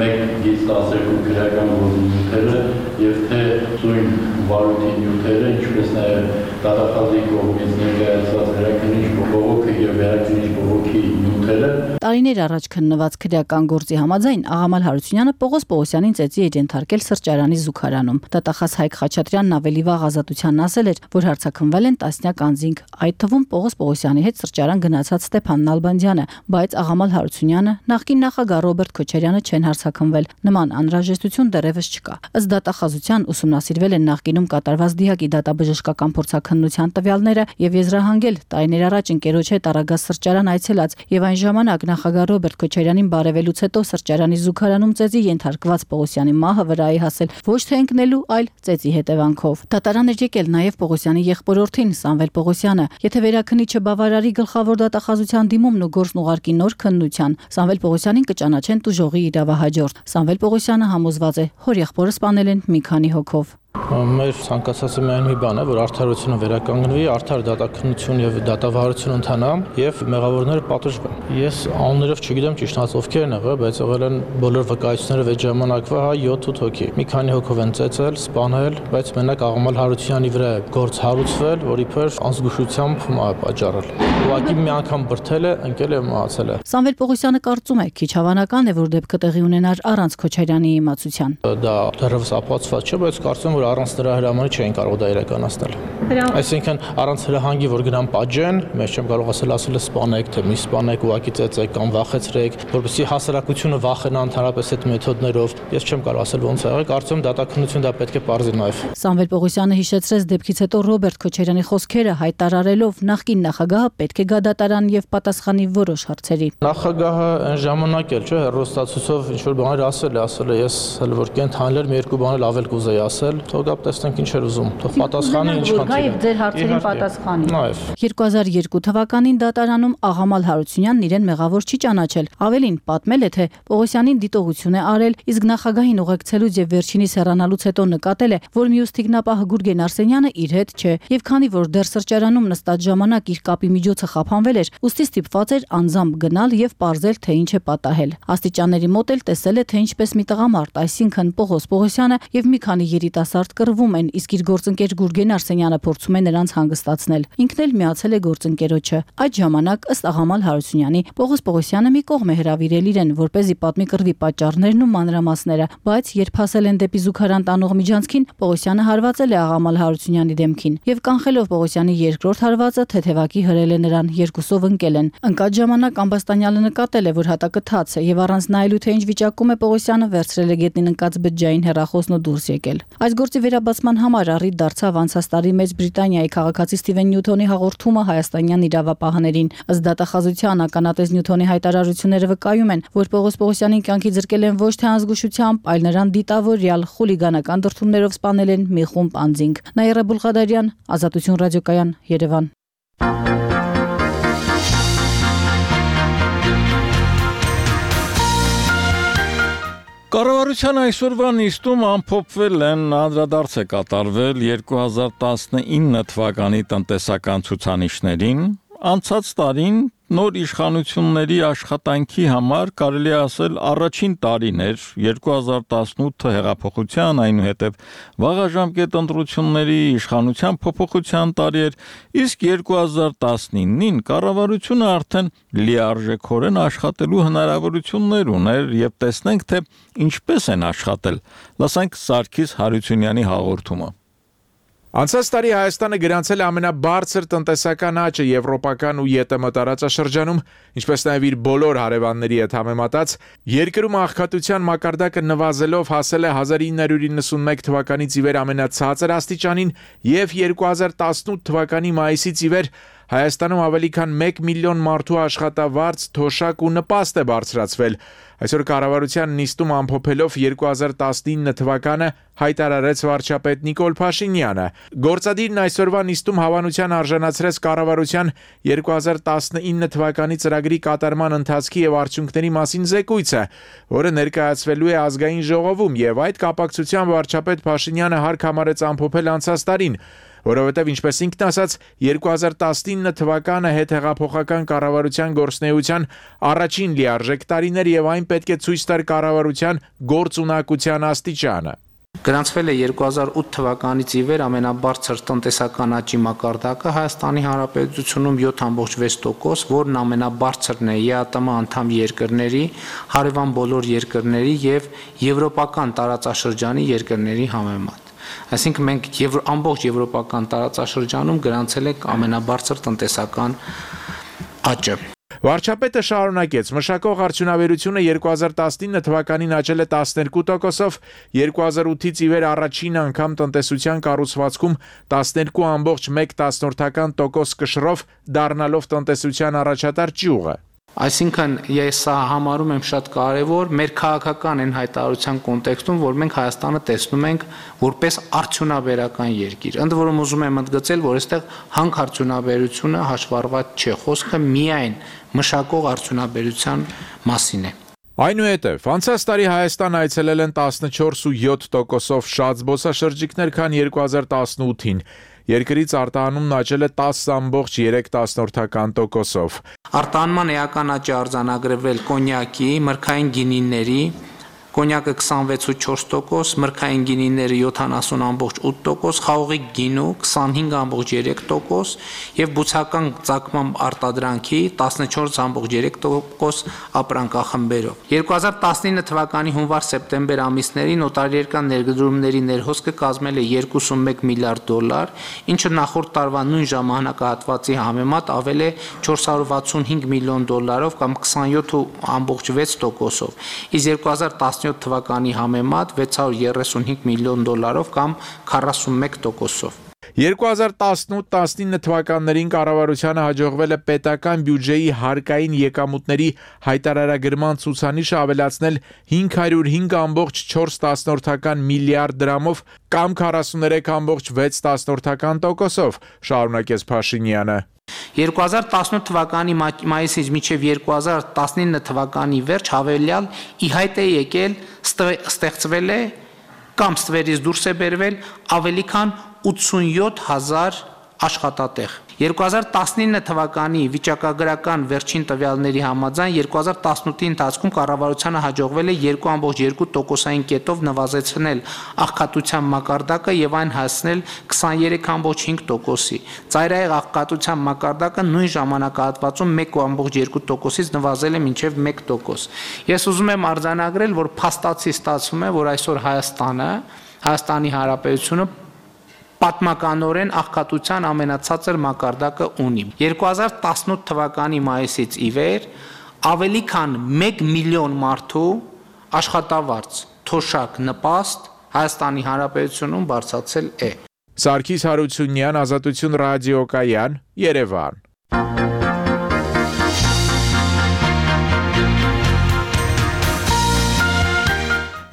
մեկ գիծ տասներկու քրեական գործի նյութերը եւ թե ծույն վարույթի նյութերը, ինչպես նաեւ դատախազի կողմից ներկայացված վերաքննիչ բողոքը եւ վերաքննիչ բողոքի նյութերը։ Տարիներ առաջ քննված քրեական գործի համաձայն Աղամալ Հարությունյանը Պողոս Պողոսյանին ծեծի էր ենթարկել սրճարանի զուգարանում։ Դատախազ Հայկ Խաչատրյանն ավելի վաղ ազատությանն ասել էր, որ հարցաքննվել են տասնյակ անձինք, այդ թվում Պողոս Պողոսյանի հետ սրճարան գնացած Ստեփան Նալբանդյանը, բայց Աղամալ Հարությունյանը, նախկին նախագահ Ռոբերտ Քոչարյանը չեն հարցաքննվել։ Նման անհրաժեշտություն դեռևս չկա։ Ըստ դատախազության ուսումնասիրվել են նախկինում կատարված դիակի դատաբժշկական փորձաքննության տվյալները եւ եզրահանգել տարիներ առաջ ընկերոջ հետ Առագաս սրճարան այցելած եւ այն ժամանակ նախագահ Ռոբերտ Քոչարյանին բարևելուց հետո սրճարանի զուգարանում ծեծի ենթարկված Պողոսյանի մահը վրայի հասել ոչ թե ընկնելու, այլ ծեծի հետևանքով։ Դատարան էր եկել նաեւ Պողոսյանի եղբորորդին Սամվել Պողոսյանը։ Եթե վերաքննիչը բավարարի գլխավոր դատախազության դիմումն ու գործն ուղարկի նոր քննության, Սամվել Պողոսյանին կճանաչեն տուժողի իրավահաջորդ։ Սամվել Պողոսյանը համոզված է, հոր եղբորը սպանել են մի քանի հոգով։ Մեր ցանկացածը միայն մի բան է, որ արդարությունը վերականգնվի, արդար դատաքննություն եւ դատավարություն ընթանա եւ մեղավորները պատժվեն։ Ես անուններով չգիտեմ ճիշտ ովքեր են եղել, բայց եղել են բոլոր վկայությունները այդ ժամանակվա հա յոթ հոգի։ Մի քանի հոգով են ծեծել, սպանել, բայց մենակ Աղամալ Հարությունյանի վրա է գործ հարուցվել, որ իբր անզգուշությամբ պատճառել։ Ուղղակի մի անգամ բրթել է, ընկել է, մահացել է։ Սամվել Պողոսյանը կարծում է, քիչ հավանական է, որ դեպքը տեղի ունենար առանց Քոչարյանի իմացության։ Դա դեռևս ապացված չէ, բայց կարծում եմ, որ առանց դրա հրամանի չէին կարող դա իրականացնել։ Այսինքն առանց հրահանգի, որ գնան պատժեն, մեզ չեմ կարող ասել, ասել է սպանեք, թե մի սպանեք, ուղղակի ծեծեք կամ վախեցրեք, որպեսզի հասարակությունը վախենա ընդհանրապես այդ մեթոդներով։ Ես չեմ կարող ասել ոնց է եղել, կարծում եմ դատաքննություն դա պետք է պարզի նաև։ Սամվել Պողոսյանը հիշեցրեց դեպքից հետո Ռոբերտ Քոչարյանի խոսքերը հայտարարելով նախկին նախագահը պետք է գա դատարան եւ պատասխանի որոշ հարցերի։ Նախագահը այն ժամանակ էլ չէ, հեռուստացույցով ինչ որ բաներ ասել է, ասել է ես հələ որ կենթանել մի երկու բան էլ ավել կուզեի ասել, թող գա տեսնենք ինչ էր ուզում, թող պատասխանի ինչ խնդիր է։ Ձեր հարցերին պատասխանի։ Նաև երկու հազար երկու թվականին դատարանում Աղամալ Հարությունյանն իրեն մեղավոր չի ճանաչել։ Ավելին պատմել է, թե Պողոսյանին դիտողություն է արել, իսկ նախագահին ուղեկցելուց եւ վերջինիս հեռանալուց հետո նկատել է, որ մյուս թիկնապահ Գուրգեն Արսենյանը իր հետ չէ, եւ քանի որ դեռ սրճարանում նստած ժամանակ իր կապի միջոցը խափանվել էր, ուստի ստիպված էր անձամբ գնալ եւ պարզել, թե ինչ է պատահել։ Աստիճանների մոտ էլ տեսել է, թե ինչպես մի տղամարդ, այսինքն Պողոս Պողոսյանը եւ մի քանի երիտասարդ կռվում են, իսկ իր գործընկեր Գուրգեն Արսենյանը փորձում է նրանց հանգստացնել։ Ինքն էլ միացել է գործընկերոջը։ Այդ ժամանակ ըստ Աղամալ Հարությունյանի Պողոս Պողոսյանը մի կողմ է հրավիրել իրեն, որպեսզի պատմի կռվի պատճառներն ու մանրամասները, բայց երբ հասել են դեպի զուգարան տանող միջանցքին, Պողոսյանը հարվածել է Աղամալ Հարությունյանի դեմքին եւ կանխելով Պողոսյանի երկրորդ հարվածը թեթևակի հրել է նրան, երկուսով ընկել են։ Ընկած ժամանակ Ամբաստանյանը նկատել է, որ հատակը թաց է եւ առանց նայելու թե ինչ վիճակում է Պողոսյանը վերցրել է գետնին ընկած բջջային հեռախոսն ու դուրս եկել։ Այս գործի վերաբացման համար առիթ դարձավ անցած տարի Մեծ Բրիտանիայի քաղաքացի Սթիվեն Նյութոնի հաղորդումը հայաստանյան իրավապահաներին։ Ըստ դատախազության ականատես Նյութոնի հայտարարությունները վկայում են, որ Պողոս Պողոսյանին կյանքի զրկել են ոչ թե անզգուշությամբ, այլ նրան դիտավորյալ խուլիգանական դրդումներով սպանել են մի խումբ անձինք։ Նաիրա Բուլղադարյան, Ազատություն ռադիոկայան, Երևան։ Կառավարության այսօրվա նիստում ամփոփվել են անդրադարձ է կատարվել երկու հազար տասնինը թվականի տնտեսական ցուցանիշներին, անցած տարին նոր իշխանությունների աշխատանքի համար կարելի է ասել առաջին տարին էր, երկու հազար տասնութը հեղափոխության, այնուհետև վաղաժամկետ ընտրությունների իշխանության փոփոխության տարի էր, իսկ երկու հազար տասնինին կառավարությունը արդեն լիարժեքորեն աշխատելու հնարավորություններ ուներ եւ տեսնենք թե ինչպես են աշխատել։ Լսենք Սարգիս Հարությունյանի հաղորդումը։ Անցած տարի Հայաստանը գրանցել է ամենաբարձր տնտեսական աճը եվրոպական ու ԵՏՄ տարածաշրջանում, ինչպես նաև իր բոլոր հարևանների հետ համեմատած, երկրում աղքատության մակարդակը նվազելով հասել է հազար ինը հարյուր իննսունմեկ թվականից ի վեր ամենացածր աստիճանին եւ երկու հազար տասնութ թվականի մայիսից ի վեր Հայաստանում ավելի քան մեկ միլիոն մարդու աշխատավարձ, թոշակ ու նպաստ է բարձրացվել։ Այսօր կառավարության նիստում ամփոփելով երկու հազար տասնինը թվականը հայտարարեց վարչապետ Նիկոլ Փաշինյանը։ Գործադիրն այսօրվա նիստում հավանության արժանացրեց կառավարության երկու հազար տասնինը թվականի ծրագրի կատարման ընթացքի եւ արդյունքների մասին զեկույցը, որը ներկայացվելու է ազգային ժողովում, եւ այդ կապակցությամբ վարչապետ Փաշինյանը հարկ համարեց ամփոփել անցած տարին, որովհետև ինչպես ինքն ասաց, երկու հազար տասնինը թվականը հետհեղափոխական կառավարության գործունեության առաջին լիարժեք տարին էր եւ այն պետք է ցույց տար կառավարության գործունակության աստիճանը։ Գրանցվել է երկու հազար ութ թվականից ի վեր ամենաբարձր տնտեսական աճի մակարդակը Հայաստանի Հանրապետությունում յոթ կόμma վեց տոկոս, որն ամենաբարձրն է ԵԱՏՄ անդամ երկրների, հարևան բոլոր երկրների եւ եվրոպական տարածաշրջանի երկրների համեմատ։ Այսինքն մենք եվ ամբողջ եվրոպական տարածաշրջանում գրանցել ենք ամենաբարձր տնտեսական աճը։ Վարչապետը շարունակեց. մշակող արդյունաբերությունը երկու հազար տասնինը թվականին աճել է տասներկու տոկոսով, երկու հազար ութից ի վեր առաջին անգամ տնտեսության կառուցվածքում տասներկու կόμma մեկ տոկոս կշռով դառնալով տնտեսության առաջատար ճյուղը։ Այսինքն ես սա համարում եմ շատ կարևոր մեր քաղաքական այն հայտարարության կոնտեքստում, որ մենք Հայաստանը տեսնում ենք որպես արդյունաբերական երկիր։ Ընդ որում ուզում եմ ընդգծել, որ այստեղ հանք արդյունաբերությունը հաշվառված չէ, խոսքը միայն մշակող արդյունաբերության մասին է։ Այնուհետև, անցած տարի Հայաստան այցելել են տասնչորս ու յոթ տոկոսով շատ զբոսաշրջիկներ, քան երկու հազար տասնութին։ Երկրից արտահանումն աճել է տասը ամբողջ երեք տոկոսով։ Արտահանման էական աճ է արձանագրվել կոնյակի, մրգային գինիների, կոնյակը քսանվեց ու չորս տոկոս, մրգային գինիները յոթանասուն ամբողջ ութ տոկոս, խաղողի գինու քսանհինգ ամբողջ երեք տոկոս եւ բուցական ծագմամբ արտադրանքի տասնչորս ամբողջ երեք տոկոս ապրանքախմբերով։ երկու հազար տասնինը թվականի հունվար-սեպտեմբեր ամիսներին օտարերկրյա ներդրումների ներհոսքը կազմել է երկուսունմեկ միլիարդ դոլար, ինչը նախորդ տարվա նույն ժամանակահատվածի համեմատ ավել է չորս հարյուր վաթսունհինգ միլիոն դոլարով կամ քսանյոթ ամբողջ վեց տոկոսով։ Իսկ երկու հազար տասնյոթ թվականի համեմատ վեց հարյուր երեսունհինգ միլիոն դոլարով կամ քառասունմեկ տոկոսով։ երկու հազար տասնութ տասնինը թվականներին կառավարությանը հաջողվել է պետական բյուջեի հարկային եկամուտների հայտարարագրման ցուցանիշը ավելացնել հինգ հարյուր հինգ ամբողջ չորս միլիարդ դրամով կամ քառասուներեք ամբողջ վեց տոկոսով, շարունակեց Փաշինյանը։ երկու հազար տասնութ թվականի մայիսից մինչև երկու հազար տասնինը թվականի վերջ հավելյալ ի հայտ է եկել, ստեղծվել է կամ ստվերից դուրս է բերվել ավելի քան ութսունյոթ հազար աշխատատեղ։ երկու հազար տասնինը թվականի վիճակագրական վերջին տվյալների համաձայն երկու հազար տասնութի ընթացքում կառավարությանը հաջողվել է երկու ամբողջ երկու տոկոսային կետով նվազեցնել աղքատության մակարդակը եւ այն հասնել քսաներեք ամբողջ հինգ տոկոսի։ Ծայրահեղ աղքատության մակարդակը նույն ժամանակահատվածում մեկ ամբողջ երկու տոկոսից նվազել է մինչև մեկ տոկոս։ Ես ուզում եմ արձանագրել, որ փաստացի ստացվում է, որ այսօր Հայաստանը, Հայաստանի Հանրապետությունը պատմականորեն աղքատության ամենացածր մակարդակը ունի։ երկու հազար տասնութ թվականի մայիսից ի վեր ավելի քան մեկ միլիոն մարդու աշխատավարձ, թոշակ, նպաստ Հայաստանի Հանրապետությունում բարձրացել է։ Սարգիս Հարությունյան, Ազատություն ռադիոկայան, Երևան։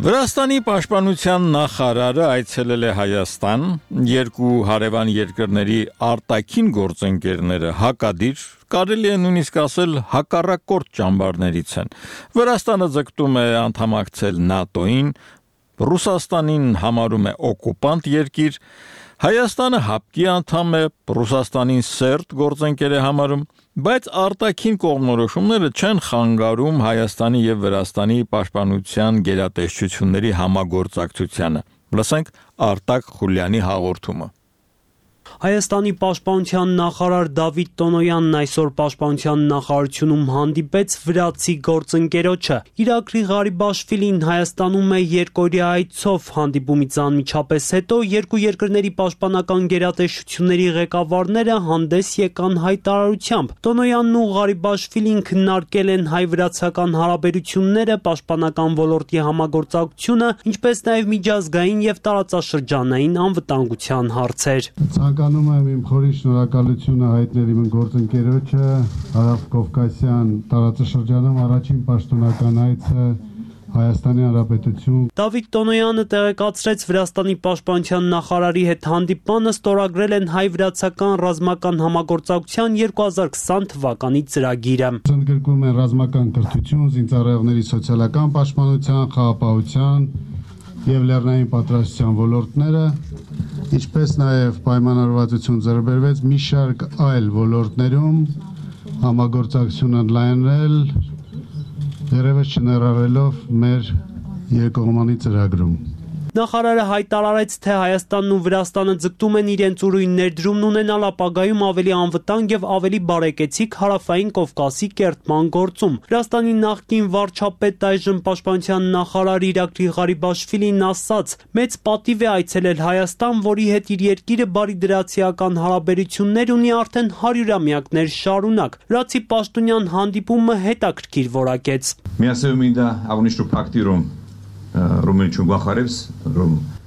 Վրաստանի պաշտպանության նախարարը այցելել է Հայաստան, երկու հարևան երկրների արտաքին գործընկերները հակադիր, կարելի է նույնիսկ ասել հակառակորդ ճամբարներից են։ Վրաստանը ձգտում է անդամակցել ՆԱՏՕ-ին, Ռուսաստանին համարում է օկուպանտ երկիր, Հայաստանը հապկի անդամ է, Ռուսաստանին սերտ գործընկեր է համարում, բայց արտաքին կողմնորոշումները չեն խանգարում Հայաստանի եւ Վրաստանի պաշտպանության գերատեսչությունների համագործակցությանը։ Լսենք Արտակ Խուլյանի հաղորդումը։ Հայաստանի պաշտպանության նախարար Դավիթ Տոնոյանն այսօր պաշտպանության նախարարությունում հանդիպեց վրացի գործընկերոջը։ Իրակլի Ղարիբաշվիլին Հայաստանում է երկօրյա այցով, հանդիպումից անմիջապես հետո երկու երկրների պաշտպանական գերատեսչությունների ղեկավարները հանդես եկան հայտարարությամբ։ Տոնոյանն ու Ղարիբաշվիլին քննարկել են հայ-վրացական հարաբերությունները, պաշտպանական ոլորտի համագործակցությունը, ինչպես նաև միջազգային եւ տարածաշրջանային անվտանգության հարցեր։ Ցանկանում եմ իմ խորին շնորհակալությունը հայտնել իմ գործընկերոջը Հարավկովկասյան տարածաշրջանում առաջին պաշտոնական այցը Հայաստանի Հանրապետություն։ Դավիթ Տոնոյանը տեղեկացրեց Վրաստանի պաշտպանության նախարարի հետ հանդիպմանը ստորագրել են հայ-վրացական ռազմական համագործակցության երկու հազար քսան թվականի ծրագիրը։ Ընդգրկում են ռազմական կրթություն, զինծառայողների սոցիալական պաշտպանության, խաղապահության եւ լեռնային պատրաստության ոլորտները, ինչպես նաև պայմանավորվածություն ձեռբերվեց մի շարք այլ ոլորտներում համագործակցությունը ընդլայնել, դեռևս չներառելով մեր երկկողմանի ծրագրում։ Նախարարը հայտարարեց, թե Հայաստանն ու Վրաստանը ձգտում են իրենց ուրույն ներդրումն ունենալ ապագայում ավելի անվտանգ եւ ավելի բարեկեցիկ Հարավային Կովկասի կերտման գործում։ Վրաստանի նախկին վարչապետ այժմ պաշտպանության նախարար Իրակլի Ղարիբաշվիլին ասաց. «Մեծ պատիվ է այցելել Հայաստան, որի հետ իր երկիրը բարիդրացիական հարաբերություններ ունի արդեն հարյուրամյակներ շարունակ»։ Վրացի պաշտոնյան հանդիպումը հետաքրքիր որակեց։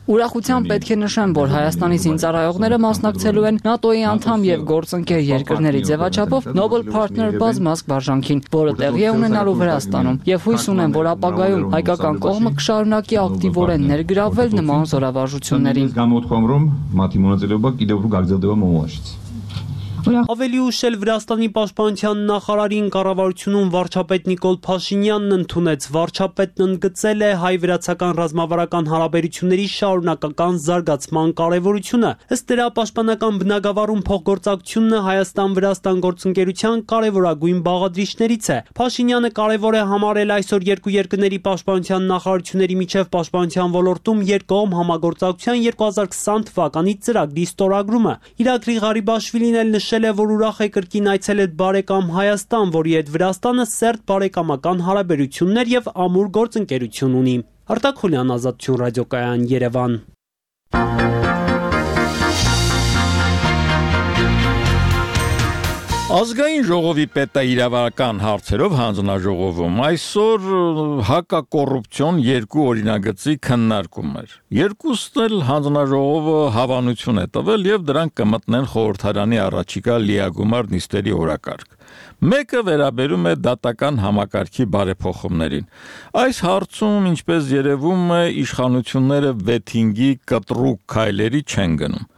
Ուրախությամբ պետք է նշեմ, որ Հայաստանի զինծառայողները մասնակցելու են ՆԱՏՕ-ի անդամ եւ գործընկեր երկրների ձևաչափով Nobel Partner բազմազգ վարժանքին, որը տեղի է ունենալու Վրաստանում, եւ հույս ունեմ, որ ապագայում հայկական կողմը կշարունակի ակտիվորեն ներգրավել նման զորավարժություններին։ Ավելի ուշ էլ Վրաստանի պաշտպանության նախարարին կառավարությունում վարչապետ Նիկոլ Փաշինյանն ընդունեց։ Վարչապետն ընդգծել է հայ-վրացական ռազմավարական հարաբերությունների շարունակական զարգացման կարևորությունը։ Ըստ դրա պաշտպանական բնագավառում փոխգործակցությունը Հայաստան-Վրաստան գործընկերության կարևորագույն բաղադրիչներից է։ Փաշինյանը կարևոր է համարել այսօր երկու երկրների պաշտպանության նախարարությունների միջև պաշտպանության ոլորտում երկկողմ համագործակցության երկու հազար քսան թվականի ծրագրի ստորագրումը։ Իրաքլի Ղարիբաշվիլին էլ նշել է, որ ուրախ է կրկին այցելել բարեկամ Հայաստան, որի հետ Վրաստանը սերտ բարեկամական հարաբերություններ եւ ամուր գործընկերություն ունի։ Արտակ Խուլյան, Ազատություն ռադիոկայան, Երևան։ Ազգային ժողովի պետաիրավական հարցերով հանձնաժողովում այսօր հակակոռուպցիոն երկու օրինագծի քննարկում էր։ Երկուսն էլ հանձնաժողովը հավանություն է տվել եւ դրանք կմտնեն խորհրդարանի առաջիկա լիագումար նիստերի օրակարգ։ Մեկը վերաբերում է դատական համակարգի բարեփոխումներին։ Այս հարցում, ինչպես երևում է, իշխանությունները վեթինգի կտրուկ քայլերի չեն գնում։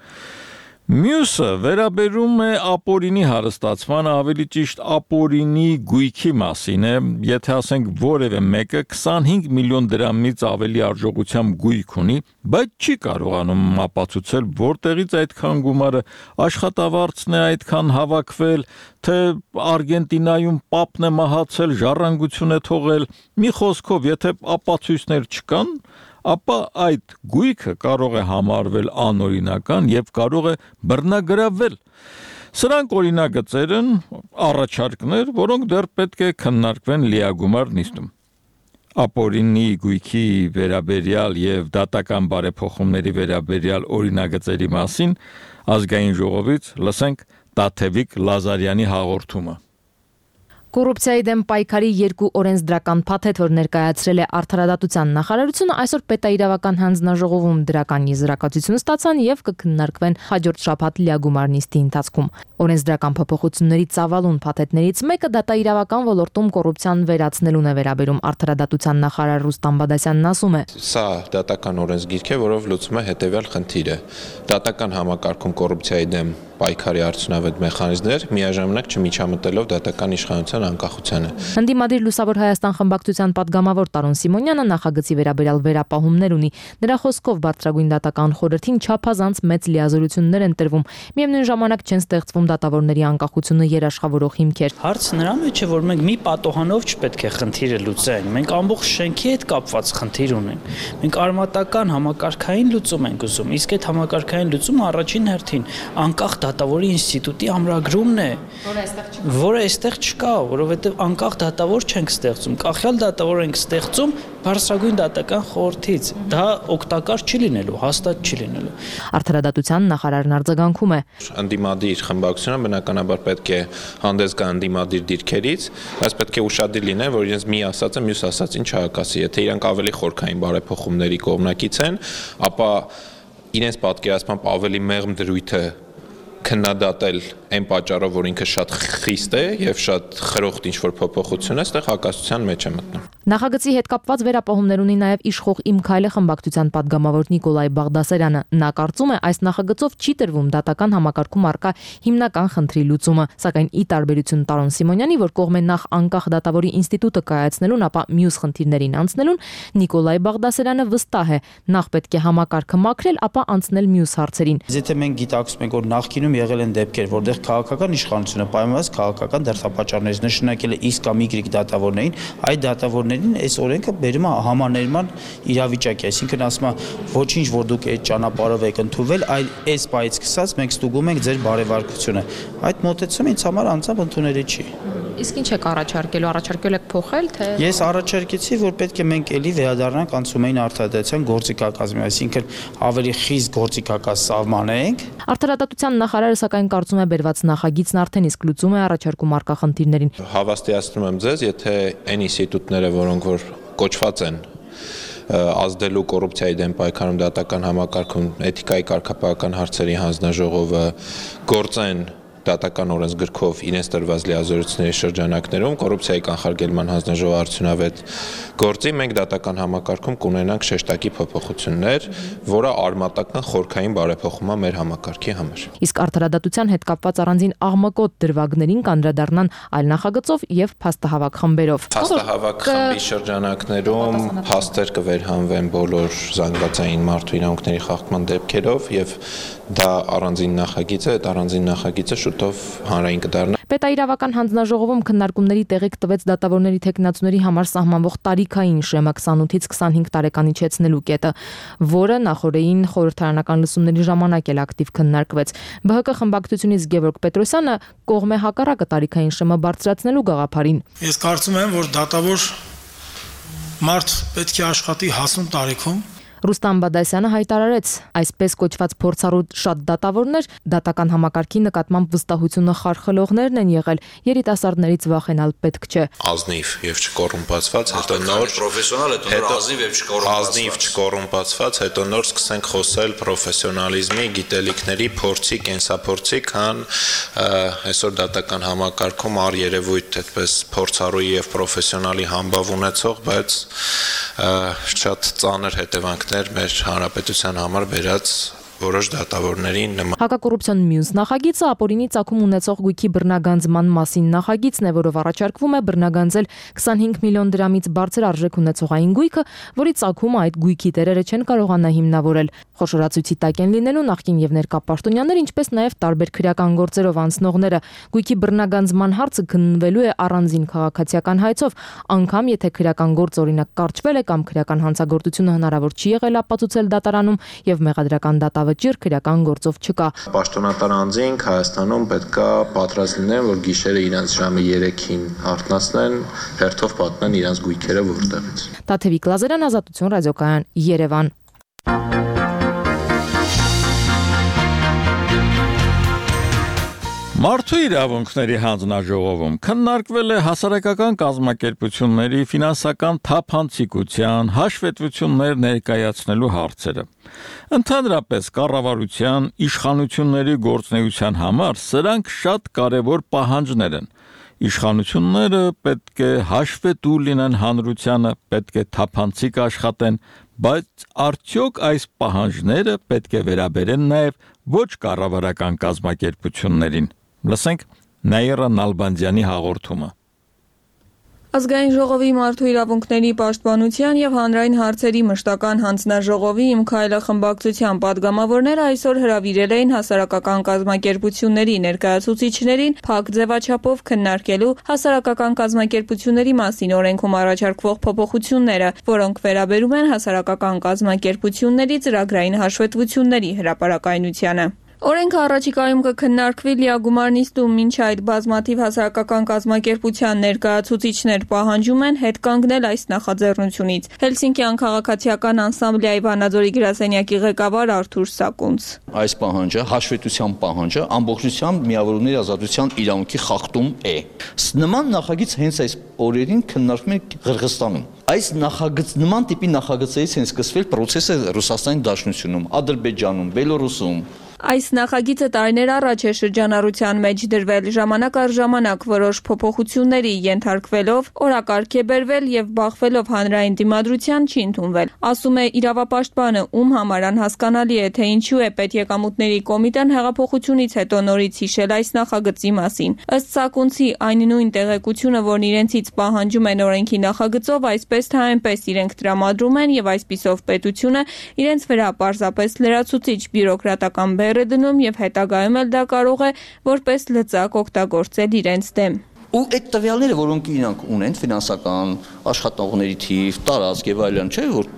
Մյուսը վերաբերում է ապօրինի հարստացմանը, ավելի ճիշտ ապօրինի գույքի մասին է, եթե ասենք որևէ մեկը քսանհինգ միլիոն դրամից ավելի արժողությամբ գույք ունի, բայց չի կարողանում ապացուցել, որտեղից այդքան գումարը, աշխատավարձն է այդքան հավաքվել, թե Արգենտինայում պապն է մահացել, ժառանգություն է թողել, մի խոսքով, եթե ապացույցներ չկան, ապա այդ գույքը կարող է համարվել անօրինական եւ կարող է բռնագրավել։ Սրանք օրինագծեր են, առաջարկներ, որոնք դեռ պետք է քննարկվեն լիագումար նիստում։ Ապօրինի գույքի վերաբերյալ եւ դատական բարեփոխումների վերաբերյալ օրինագծերի մասին ազգային ժողովից լսենք Տաթևիկ Լազարյանի հաղորդումը։ Կոռուպցիայի դեմ պայքարի երկու օրենսդրական փաթեթ, որ ներկայացրել է Արդարադատության նախարարությունը, այսօր պետաիրավական հանձնաժողովում դրական եզրակացություն ստացան եւ կքննարկվեն հաջորդ շաբաթ լիագումար նիստի ընթացքում։ Օրենսդրական փոփոխությունների ծավալուն փաթեթներից մեկը դատաիրավական ոլորտում կոռուպցիան վերացնելուն է վերաբերում։ Արդարադատության նախարար Ռուստամ Բադասյանն ասում է. Սա դատական օրենսգիրք է, որով լուծում է հետեւյալ խնդիրը։ Դատական համակարգում կոռուպցիայի դեմ պայքարի արդյունավետ մեխանիզմներ միաժամանակ չմիջամտելով դատական իշխանության անկախությանը։ Ընդդիմադիր Լուսավոր Հայաստան խմբակցության պատգամավոր Տարոն Սիմոնյանը նախագծի վերաբերյալ վերապահումներ ունի։ Նրա խոսքով բարձրագույն դատական խորհրդին չափազանց մեծ լիազորություններ են տրվում։ Միևնույն ժամանակ չեն ստեղծվում դատավորների անկախությունը երաշխավորող հիմքեր։ Հարցը նրա մեջ է, որ մենք մի պատոհանով չպետք է խնդիրը լուծենք։ Մենք ամբողջ շենքի հետ կապված խնդիր ունենք։ Մենք արմատական համակարգային լուծում ենք ուզում, իսկ այդ համակարգային լուծումը առաջին հերթին անկախ դատավորի ինստիտուտի ամրագրումն է, որը այստեղ չկա, որովհետև անկախ դատավոր չենք ստեղծում, կախյալ դատավոր ենք ստեղծում բարձրագույն դատական խորհրդից։ Դա օգտակար չի լինելու, հաստատ չի լինելու։ Արդարադատության նախարարն արձագանքում է. Ընդդիմադիր խմբակցությունը բնականաբար պետք է հանդես գա ընդդիմադիր դիրքերից, բայց պետք է ուշադիր լինեն, որ իրենց մի ասածը մյուս ասածին չհակասի։ Եթե իրանք ավելի խորքային բարեփոխումների կողմնակից են, ապա իրենց պատկերացմամբ ավելի մեղմ դրույթը քննադատել այն պատճառով, որ ինքը շատ խիստ է եւ շատ խրոխտ ինչ-որ փոփոխություն է, այստեղ հակասության մեջ է մտնում։ Նախագծի հետ կապված վերապահումներ ունի նաև իշխող Իմ Քայլը խմբակցության պատգամավոր Նիկոլայ Բաղդասարյանը։ Նա կարծում է, այս նախագծով չի տրվում դատական համակարգում առկա հիմնական խնդրի լուծումը, սակայն ի տարբերություն Տարոն Սիմոնյանի, որ կողմ է նախ անկախ դատավորի ինստիտուտը կայացնելուն, ապա մյուս խնդիրներին անցնելուն, Նիկոլայ Բաղդասարյանը վստահ է, նախ պետք է համակարգը մաքրել, ապա անցնել մյուս հարցերին։ Եթե մենք գիտակցում ենք, որ նախկինում եղել են դեպքեր, որտեղ քաղաքական իշխանությունը պայմանավորված քաղաքական դրդապատճառներից նշանակել է X կամ Y դատավորներին, այդ դատավորներին այս օրենքը բերում է համաներման իրավիճակի, այսինքն ասում է ոչինչ, որ դուք այդ ճանապարհով եք ընդունվել, այլ այս բայից սկսած մենք ստուգում ենք ձեր բարեվարկությունը։ Այդ մոտեցումը ինձ համար անձամբ ընդունելի չի։ Իսկ ինչ եք առաջարկելու, առաջարկել եք փոխել, թե Ես առաջարկեցի, որ պետք է մենք ելի վերադառնանք անցումային արդարադատության գործիքակազմին, այսինքն ավելի խիստ գործիքակազ սահմանենք։ Արդարադատության նախարարը սակայն կարծում է բերված նախագիծն արդեն իսկ լուծում է առաջարկում առկա խնդիրներին։ Հավաստիացնում եմ ձեզ, եթե այն ինստիտուտները, որոնք որ կոչված են ազդելու կոռուպցիայի դեմ պայքարում դատական համակարգում էթիկայի կարգապահական հարցերի հանձնաժողովը գործեն դատական օրենսգրքով իրենց տրված լիազորությունների շրջանակներում կոռուպցիայի կանխարգելման հանձնաժողովի արդյունավետ գործի մենք դատական համակարգում կունենանք շեշտակի փոփոխություններ, որը արմատական խորքային բարեփոխում է մեր համակարգի համար։ Իսկ արդարադատության հետ կապված առանձին աղմկոտ դրվագներին կանդրադառնան այլ նախագծով եւ փաստահավաք խմբերով։ Փաստահավաք խմբի շրջանակներում փաստեր կվերհանվեն բոլոր զանգվածային մարդու իրավունքների խախտման դեպքերով եւ դա առանձին նախագիծ է, այդ առանձին նախագիծը շուտով հանրային կդառնա։ Պետաիրավական հանձնաժողովում քննարկումների տեղիք տվեց դատավորների թեկնածուների համար սահմանվող տարիքային շեմը քսանութից քսանհինգ տարեկան իջեցնելու կետը, որը նախորդային խորհրդարանական լսումների ժամանակ էլ ակտիվ քննարկվեց։ Բ Հ Կ խմբակցությունից Գևորգ Պետրոսյանը կողմ է հակառակը տարիքային շեմը բարձրացնելու գաղափարին։ Ես կարծում եմ, որ դատավոր մարդ պետք է աշխատի հասուն տարիքում։ Ռուստամ Բադասյանը հայտարարեց, այսպես կոչված փորձառու շատ դատավորներ դատական համակարգի նկատմամբ վստահությունը խարխլողներն են եղել, երիտասարդներից վախենալ պետք չէ։ Ազնիվ եւ չկոռումպացված, հետո նոր պրոֆեսիոնալ, հետո նոր ազնիվ եւ չկոռումպացված։ Ազնիվ չկոռումպացված, հետո նոր սկսենք խոսել պրոֆեսիոնալիզմի, գիտելիքների, փորձի, կենսափորձի, քան այսօր դատական համակարգում առ երևույթ այդպես փորձառուի եւ պրոֆեսիոնալի համբավ ունեցող, բայց շատ ծանր հետևանք մեր հանրապետության համար բերած որոշ դատավորներին նման։ Հակակոռուպցիոն մյուս նախագիծը ապօրինի ծագում ունեցող գույքի բռնագանձման մասին նախագիծն է, որով առաջարկվում է բռնագանձել քսանհինգ միլիոն դրամից բարձր արժեք ունեցողային գույքը, որի ծագումը այդ գույքի տերերը չեն կարողանա հիմնավորել։ Խոշորացույցի տակ են լինելու նախկին եւ ներկա պաշտոնյաներ, ինչպես նաեւ տարբեր քրեական գործերով անցնողները։ Գույքի բռնագանձման հարցը քննվելու է առանձին քաղաքացիական հայցով, անգամ եթե քրեական գործ օրինակ կարճվել է կամ քրեական հանցագործությունը հնարավոր չի եղել ապացուցել դատարանում եւ մեղադրական դատավճիռ քրեական գործով չկա։ Պաշտոնատար անձինք Հայաստանում պետքա պատրաստ լինեն, որ գիշերը իրանց ժամը երեքին արթնացնեն, հերթով պատմեն իրանց գույքերը որտեղից։ Տաթևիկ Լազարյան, Ազատություն ռադիոկայան, Երևան։ Մարդու իրավունքների հանձնաժողովում քննարկվել է հասարակական կազմակերպությունների ֆինանսական թափանցիկության հաշվետվություններ ներկայացնելու հարցերը։ Ընդհանրապես կառավարության իշխանությունների գործունեության համար սրանք շատ կարևոր պահանջներ են։ Իշխանությունները պետք է հաշվետու լինեն հանրությանը, պետք է թափանցիկ աշխատեն, բայց արդյոք այս պահանջները պետք է վերաբերեն նաև ոչ կառավարական կազմակերպություններին։ Լսենք Նաիրա Նալբանդյանի հաղորդումը։ Ազգային ժողովի մարդու իրավունքների պաշտպանության եւ հանրային հարցերի մշտական հանձնաժողովի Իմ քայլը խմբակցության падգամավորները այսօր հրավիրել էին հասարակական կազմակերպությունների ներկայացուցիչներին փակ ձևաչափով քննարկելու հասարակական կազմակերպությունների մասին օրենքում առաջարկվող փոփոխությունները, որոնք վերաբերում են հասարակական կազմակերպությունների ծրագրային հաշվետվությունների հրապարակայնությանը։ Օրենքը առաջիկայում կքննարկվի լիագումար նիստում, մինչ այդ բազմաթիվ հասարակական կազմակերպության ներկայացուցիչներ պահանջում են հետ կանգնել այս նախաձեռնությունից։ Հելսինկյան քաղաքացիական անսամբլեայի Վանաձորի գրասենյակի ղեկավար Արթուր Սակունց։ Այս պահանջը, հաշվետվության պահանջը ամբողջությամբ միավորների ազատության իրավունքի խախտում է։ Նման նախագիծ հենց այս օրերին քննարկվում է Ղրղստանում։ Այս նախագծ նման տիպի նախագծերից են սկսվել process-ը Ռուսաստանի Դաշնությունում, Ադրբեջանում, Բելորուսում։ Այս նախագիծը տարիներ առաջ է շրջանառության մեջ դրվել, ժամանակ առ ժամանակ որոշ փոփոխությունների ենթարկվելով, օրակարգ է բերվել եւ բախվելով հանրային դիմադրության չի ընդունվել։ Ասում է իրավապաշտպանը, ում համար անհասկանալի է, թե ինչու է պետեկամուտների կոմիտեն հեղափոխությունից հետո նորից հիշել այս նախագծի մասին։ Ըստ Սակունցի, այն նույն տեղեկությունը, որն իրենցից պահանջում են օրենքի նախագծով, այսպես թե այնպես իրենք տրամադրում են եւ այսպիսով պետությունը իրենց վրա պարզապես լրացուցիչ բյուրոկրատական է դնում եւ հետագայում էլ դա կարող է որպես լծակ օգտագործել իրենց դեմ։ Ու այդ տվյալները, որոնք իրանք ունեն, ֆինանսական, աշխատողների թիվ, տարածք եւ այլն, չէ՞ որ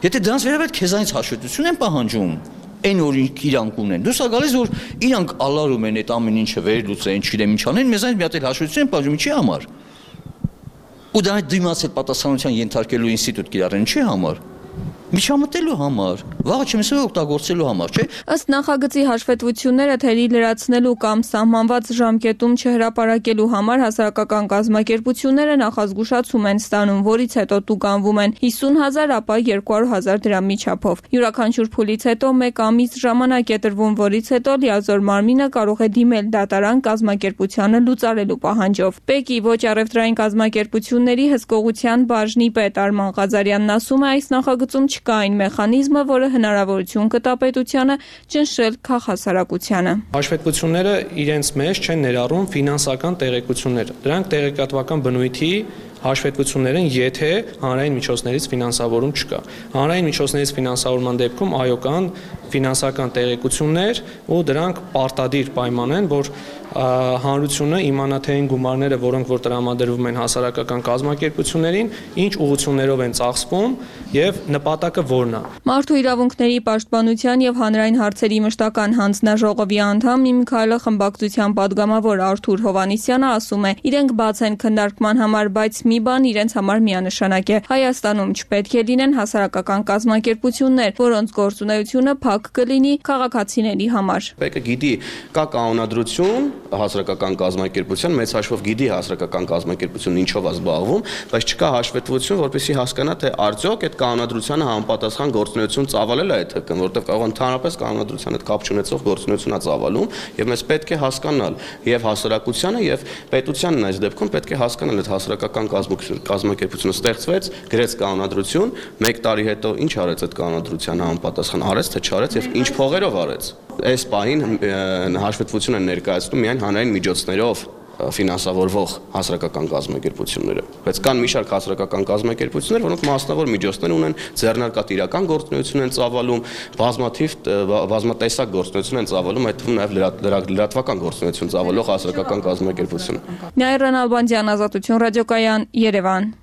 եթե դրանց վերաբերյալ քեզանից հաշվետվություն են պահանջում, այն որ իրանք ունեն, դուրս է գալիս որ իրանք ալարում են այդ ամեն ինչը վերլուծեն, չգիտեմ ինչ անեն, մեզանից մի հատ էլ հաշվետվություն են պահանջում, ինչի համար։ Ու դա դիմացել պատասխանատվության ենթարկելու ինստիտուտ կիրառեն, ինչի համար։ միջամտելու համար, վաղը չեմ ասում օգտագործելու համար, չէ՞։ Ըստ նախագծի հաշվետվությունները թերի լրացնելու կամ սահմանված ժամկետում չհրապարակելու համար հասարակական կազմակերպությունները նախազգուշացում են ստանում, որից հետո տուգանվում են հիսուն հազար, ապա երկու հարյուր հազար դրամի չափով։ Յուրաքանչյուր փուլից հետո մեկ ամիս ժամանակ է տրվում, որից հետո լիազոր մարմինը կարող է դիմել դատարան կազմակերպությանը լուծարելու պահանջով։ ՊԵԿ-ի ոչ առևտրային կազմակերպությունների հսկողության բաժնի պետ Արման Ղազարյանն ասում է, այս նախագծում չկա այն մեխանիզմը, որը հնարավորություն կտա պետությանը ճնշել քաղաքասարակությանը։ Հաշվետվությունները իրենց մեջ չեն ներառում ֆինանսական տեղեկություններ։ Դրանք տեղեկատվական բնույթի հաշվետվություններ են, եթե հանրային միջոցներից ֆինանսավորում չկա։ Հանրային միջոցներից ֆինանսավորման դեպքում այո կան ֆինանսական տեղեկություններ ու դրանք պարտադիր պայման են, որ հանրությունը իմանա թե այն գումարները, որոնք որ տրամադրվում են հասարակական կազմակերպություններին, ինչ ուղղություններով են ծախսվում եւ նպատակը որն է։ Մարդու իրավունքների պաշտպանության եւ հանրային հարցերի մշտական հանձնաժողովի անդամ Իմքայլը խմբակցության падգամավոր Արթուր Հովանիսյանը ասում է, իրենք բաց են քննարկման համար, բայց մի բան իրենց համար միանշանակ է։ Հայաստանում չպետք է լինեն հասարակական կազմակերպություններ, որոնց գործունեությունը փակ կլինի քաղաքացիների համար։ ՊԵԿ-ը գիտի կա կանոնադրություն հասարակական կազմակերպության, մեծ հաշվով գիտի հասարակական կազմակերպությունն ինչով է զբաղվում, բայց չկա հաշվետվություն, որպեսզի հասկանա թե արդյոք այդ կանոնադրությանը համապատասխան գործունեություն ծավալել է այդ ՀԿ-ն, որտեղ կարող ընդհանրապես կանոնադրության հետ կապ չունեցող գործունեություն է ծավալում, եւ մեզ պետք է հասկանալ եւ հասարակությանը եւ պետությանն այս դեպքում պետք է հասկանալ այդ հասարակական կազմակերպությունը ստեղծվեց, գրեց կանոնադրություն, մեկ տարի հետո ինչ արեց այդ կանոնադրությանը համապատասխան, արեց թե չարեց եւ ինչ փողերով արեց։ Այս պահին հաշվետվություն են ներկայացնում միայն հանրային միջոցներով ֆինանսավորվող հասարակական կազմակերպությունները, բայց կան մի շարք հասարակական կազմակերպություններ, որոնք մասնավոր միջոցներ ունեն, ձեռնարկատիրական գործունեություն են ծավալում, բազմաթիվ բազմատեսակ գործունեություն են ծավալում, այդ թվում նաև լրատվական գործունեություն ծավալող հասարակական կազմակերպություն։ Նայիրան Ալբանդյան, Ազատություն ռադիոկայան, Երևան։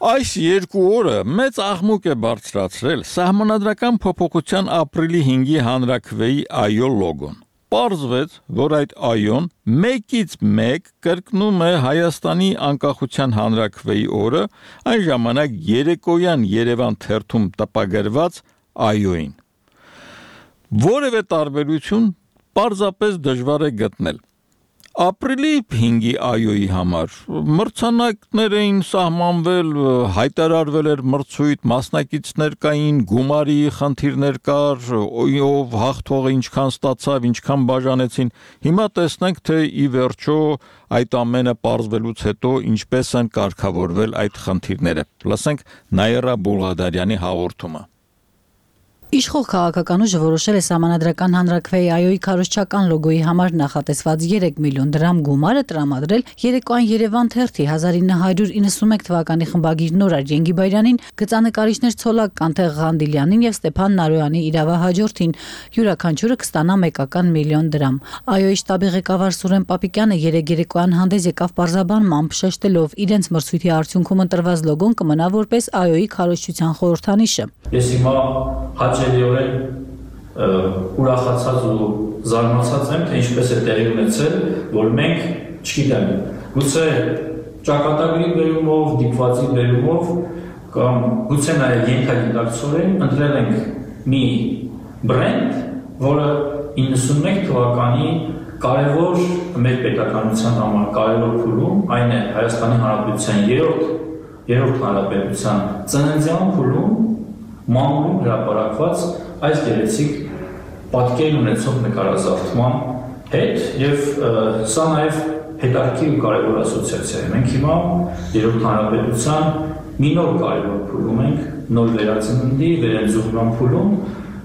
Այս երկու օրը մեծ աղմուկ է բարձրացրել սահմանադրական փոփոխության ապրիլի հինգի հանրաքվեի այո լոգոն։ Պարզվեց, որ այդ այոն մեկից մեկ կրկնում է Հայաստանի անկախության հանրաքվեի օրը, այն ժամանակ երեկոյան Երևան թերթում տպագրված այոին։ Որևէ տարբերություն պարզապես դժվար է գտնել։ Ապրիլի հինգի այոյի համար մրցանակներ էին սահմանվել, հայտարարվել էր մրցույթ, մասնակիցներ կային, գումարի խնդիրներ կար, ով հաղթողը ինչքան ստացավ, ինչքան բաժանեցին։ Հիմա տեսնենք, թե ի վերջո այդ ամենը պարզվելուց հետո ինչպես են կարգավորվել այդ խնդիրները։ Լսենք Նաիրա Բուլղադարյանի հաղորդումը։ Իշխող քաղաքական ուժը որոշել է սահմանադրական հանրաքվեի այոյի քարոզչական լոգոյի համար նախատեսված երեք միլիոն դրամ գումարը տրամադրել երեկոյան Երևան թերթի հազար ինը հարյուր իննսունմեկ թվականի խմբագիր Նորար Ջենգիբայրյանին, գծանկարիչներ Ցոլակ Կանթեղ Ղանդիլյանին եւ Ստեփան Նարոյանի իրավահաջորդին, յուրաքանչյուրը կստանա մեկական միլիոն դրամ։ Այոյի շտաբի ղեկավար Սուրեն Պապիկյանը երեք երեկոյան հանդես եկավ պարզաբանմամբ շեշտելով իրենց մրցույթի արդյունքում ընտրված լոգոն կմնա որպես այոյի քարոզչության խորհրդանիշը։ Ես հիմա հաճելիորեն ուրախացած ու զարմացած եմ, թե ինչպես է տեղի ունեցել, որ մենք, չգիտեմ, գուցե ճակատագրի բերումով, դիպվածի բերումով կամ գուցե նաև ենթագիտակցորեն ընտրել ենք մի բրենդ, որը իննսունմեկ թվականի կարևոր մեր պետականության համար կարևոր փուլում, այն է Հայաստանի Հանրապետության երրորդ երրորդ հանրապետության ծննդյան փուլում մամուլում հրապարակված այս գեղեցիկ պատկերն ունեցող նկարազարդման հետ եւ սա նաեւ հետաքրքիր ու կարևոր ասոցիացիա է։ Մենք հիմա երրորդ հանրապետության մի նոր կարևոր փուլում ենք, նոր վերածննդի, վերընձուղման փուլում,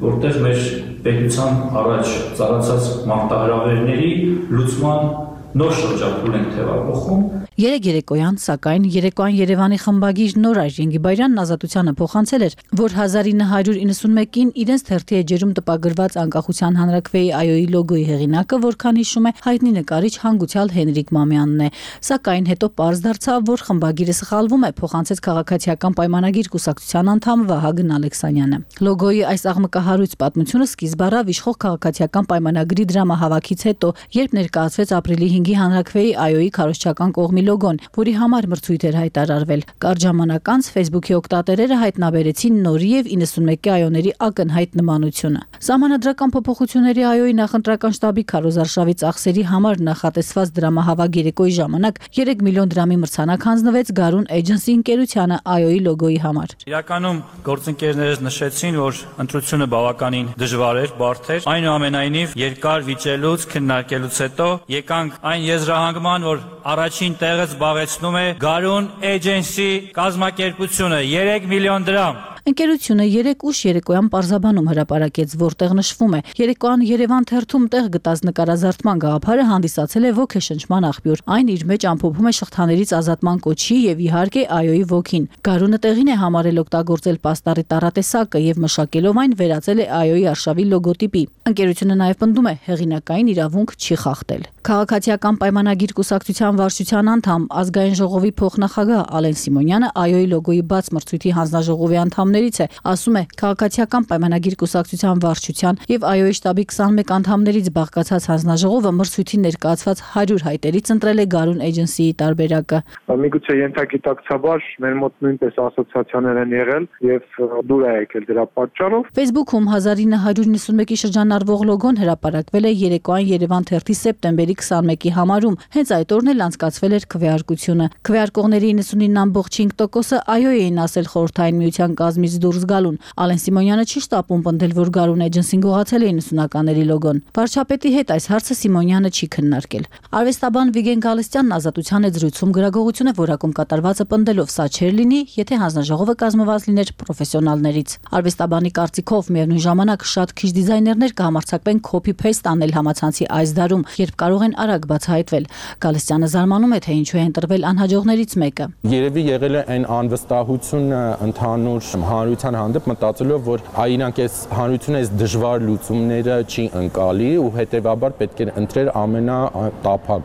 որտեղ մեր պետության առաջ ծառացած մարտահրավերների լուծման նոր շրջափուլ ենք թևակողում։ Երեք երեկոյան, սակայն երեկոյան Երևանի խմբագիր Նորար Ջենգիբայրյանն Ազատությանը փոխանցել էր, որ հազար ինը հարյուր իննսունմեկին իրենց թերթի էջերում տպագրված անկախության հանրաքվեի այոյի լոգոյի հեղինակը, որքան հիշում է, հայտնի նկարիչ հանգուցյալ Հենրիկ Մամյանն է։ Սակայն հետո պարզ դարձավ, որ խմբագիրը սխալվում է, փոխանցեց քաղաքացիական պայմանագիր կուսակցության անդամ Վահագն Ալեքսանյանը։ Լոգոյի այս աղմկահարույց պատմությունը սկիզբ առավ իշխող քաղաքացիական պայմանագրի դրամահավաքից հետո, երբ ներկայացվեց ապրիլի հինգի հանրաքվեի այոյի քարոզչական կողմի լոգոն, որի համար մրցույթ էր հայտարարվել։ Կարճ ժամանակ անց Facebook-ի օգտատերերը հայտնաբերեցին նորի եւ իննսունմեկի այոների ակնհայտ նմանությունը։ Սահմանադրական փոփոխությունների այոյի նախընտրական շտաբի քարոզարշավի ծախսերի համար նախատեսված դրամահավաք երեկոյի ժամանակ երեք միլիոն դրամի մրցանակ հանձնվեց Garun Agency ընկերությանը այոյի լոգոյի համար։ Իրականում գործընկերներս նշեցին, որ ընտրությունը բավականին դժվար էր, բարդ էր։ Այնուամենայնիվ երկար վիճելուց, քննարկելուց հետո եկանք այն եզրահանգման, որ առաջին տեղը զբաղեցնում է Garun Agency կազմակերպությունը երեք միլիոն դրամ։ Ընկերությունը երեք ուշ երեկոյան պարզաբանում հրապարակեց, որտեղ նշվում է երեկոյան Երևան թերթում տեղ գտած նկարազարդման գաղափարը հանդիսացել է ոգեշնչման աղբյուր։ Այն իր մեջ ամփոփում է շղթաներից ազատման կոչի եւ իհարկե այոյի ոգին։ Garun-ը տեղին է համարել օգտագործել պաստառի տառատեսակը եւ մշակելով այն վերածել է այոյի արշավի լոգոտիպի։ Ընկերությունը նաեւ պնդում է հեղինակային իրավունք չի խախտել։ Քաղաքացիական պայմանագիր կուսակցության վարչության անդամ ազգային ժողովի փոխնախագահ Ալեն Սիմոնյանը այոյի լոգոյի բաց մրցույթի հանձնաժողովի անդամներից է, ասում է, քաղաքացիական պայմանագիր կուսակցության վարչության եւ այոյի շտաբի քսանմեկ անդամներից բաղկացած հանձնաժողովը մրցույթի ներկայացված հարյուր հայտերից ընտրել է Garun Agency-ի տարբերակը։ Միգուցե ենթագիտակցաբար մեր մոտ նույնպես ասոցիացիաներ են եղել եւ դուր է եկել դրա պատճառով։ Facebook-ում հազար ինը հարյուր նվաթ շրջանառվող լոգոն հրապարակվել է երեկոյան Երևան թերթի սեպտեմբերի քսանմեկի համարում։ Հենց այդ օրն էլ անցկացվել էր քվեարկությունը։ Քվեարկողների իննսունինը ամբողջ հինգ տոկոսը այո էին ասել խորհրդային միության կազմից դուրս գալուն։ Ալեն Սիմոնյանը չի շտապում պնդել, որ Garun Agency-ն գողացել է իննսունականների լոգոն։ Վարչապետի հետ այս հարցը Սիմոնյանը չի քննարկել։ Արվեստաբան Վիգեն Գալստյանն Ազատության հետ զրույցում գրագողություն է որակում կատարվածը պնդելով սա չէր լինի, եթե հանձնաժողովը կազմված լիներ պրոֆեսիոնալներից։ Արվեստաբանի կարծիքով միևնույն ժամանակ շատ քիչ դիզայներներ կհամարձակվեն copy-paste անել համացանցի այս դարում, երբ կարող են արագ բացահայտվել։ Գալստյանը զարմանում է, թե ինչու է ընտրվել անհաջողներից մեկը։ Երևի եղել է այն անվստահությունը ընդհանուր հանրության հանդեպ, մտածելով, որ այ իրանք այս հանրությունը այս դժվար լուծումները չի ընկալի ու հետեւաբար պետք է ընտրել ամենատափակ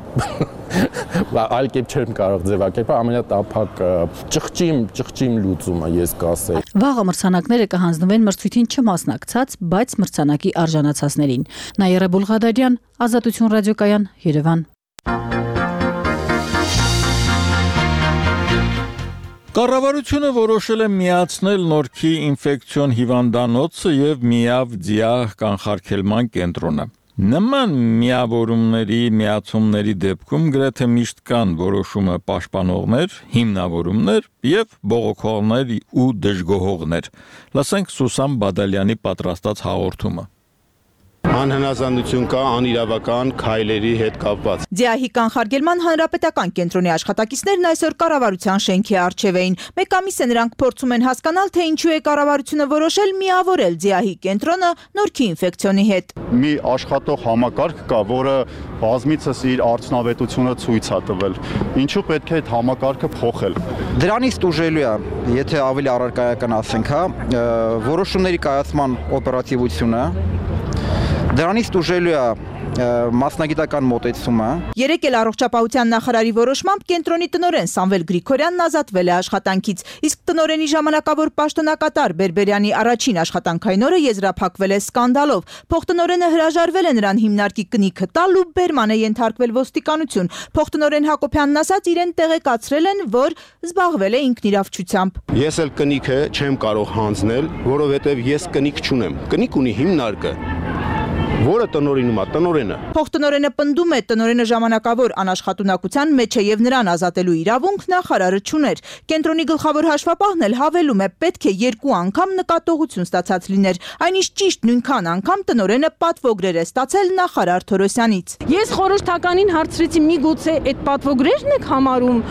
այլ կերպ չեմ կարող ձևակերպել ամենատափակ ճղճիմ ճղճիմ լուծումը ես կասեի։ Վաղը մրցանակները կհանձնվեն մրցույթին չմասնակցած, բայց մրցանակի արժանացածներին։ Նաիրա Բուլղադարյան, Ազատություն ռադիոկայան, Երևան։ Կառավարությունը որոշել է միացնել Նորքի ինֆեկցիոն հիվանդանոցը եւ Միավ ձիահ կանխարգելման կենտրոնը։ Նման միավորումների, միացումների դեպքում գրեթե միշտ կան որոշումը պաշտպանողներ, հիմնավորումներ եւ բողոքողներ ու դժգոհողներ։ Լսենք Սուսան Բադալյանի պատրաստած հաղորդումը։ Անհնազանդություն կա անիրավական քայլերի հետ կապված։ Ձիահի կանխարգելման հանրապետական կենտրոնի աշխատակիցներն այսօր կառավարության շենքի առջև էին։ Մեկ ամիս է նրանք փորձում են հասկանալ, թե ինչու է կառավարությունը որոշել միավորել Ձիահի կենտրոնը Նորքի ինֆեկցիոնի հետ։ Մի աշխատող համակարգ կա, որը բազմիցս իր արդյունավետությունը ցույց է տվել։ Ինչու պետք է այդ համակարգը փոխել։ Դրանից տուժելու է, եթե ավելի առարկայական ասենք, հա, որոշումների կայացման օպերատիվությունը Դրանից տուժելու է մասնագիտական մոտեցումը։ Երեկ էլ առողջապահության նախարարի որոշմամբ կենտրոնի տնօրեն Սամվել Գրիգորյանն ազատվել է աշխատանքից, իսկ տնօրենի ժամանակավոր պաշտոնակատար Բերբերյանի առաջին աշխատանքային օրը եզրափակվել է սկանդալով։ Փոխտնօրենը հրաժարվել է նրան հիմնարկի կնիքը տալ ու բերման է ենթարկվել ոստիկանություն։ Փոխտնօրեն Հակոբյանն ասաց, իրեն տեղեկացրել են, որ զբաղվել է ինքնիրավչությամբ։ Ես էլ կնիքը չեմ կարող հանձնել, որովհետև ես կնիկ չունեմ։ Կնիկ ունի հիմնարկը, որը տնօրինում է, տնօրենը։ Փոխտնօրենը պնդում է, տնօրենը ժամանակավոր անաշխատունակության մեջ է եւ նրան ազատելու իրավունք նախարարը չուներ։ Կենտրոնի գլխավոր հաշվապահն էլ հավելում է, պետք է երկու անգամ նկատողություն ստացած լիներ։ Այնիշ ճիշտ նույնքան անգամ տնօրենը պատվոգրեր է ստացել նախարար Թորոսյանից։ Ես խորհրդականին հարցրեցի, միգուցե այդ պատվոգրերն եք համարում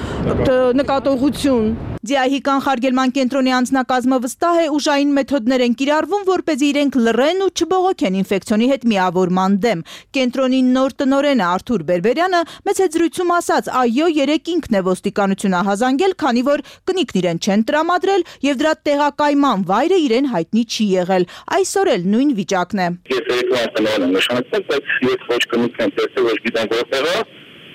նկատողություն։ Ձիահի կանխարգելման կենտրոնի անձնակազմը վստահ է, ուժային մեթոդներ են կիրառվում, որպեսզի իրենք լռեն ու չբողոքեն ինֆեկցիոնի հետ միավորման դեմ։ Կենտրոնի նոր տնօրենը Արթուր Բերբերյանը մեծ հետզրույցում ասաց, այո, երեք ինքն է ոստիկանություն ահազանգել, քանի որ կնիկն իրեն չեն տրամադրել եւ դրա տեղակայման վայրը իրեն հայտնի չի եղել։ Այսօր էլ նույն վիճակն է։ Ես երկու անգամ եմ նշանակել, բայց ես ոչ կնիկն եմ տեսել, ոչ գիտեմ որտեղ է։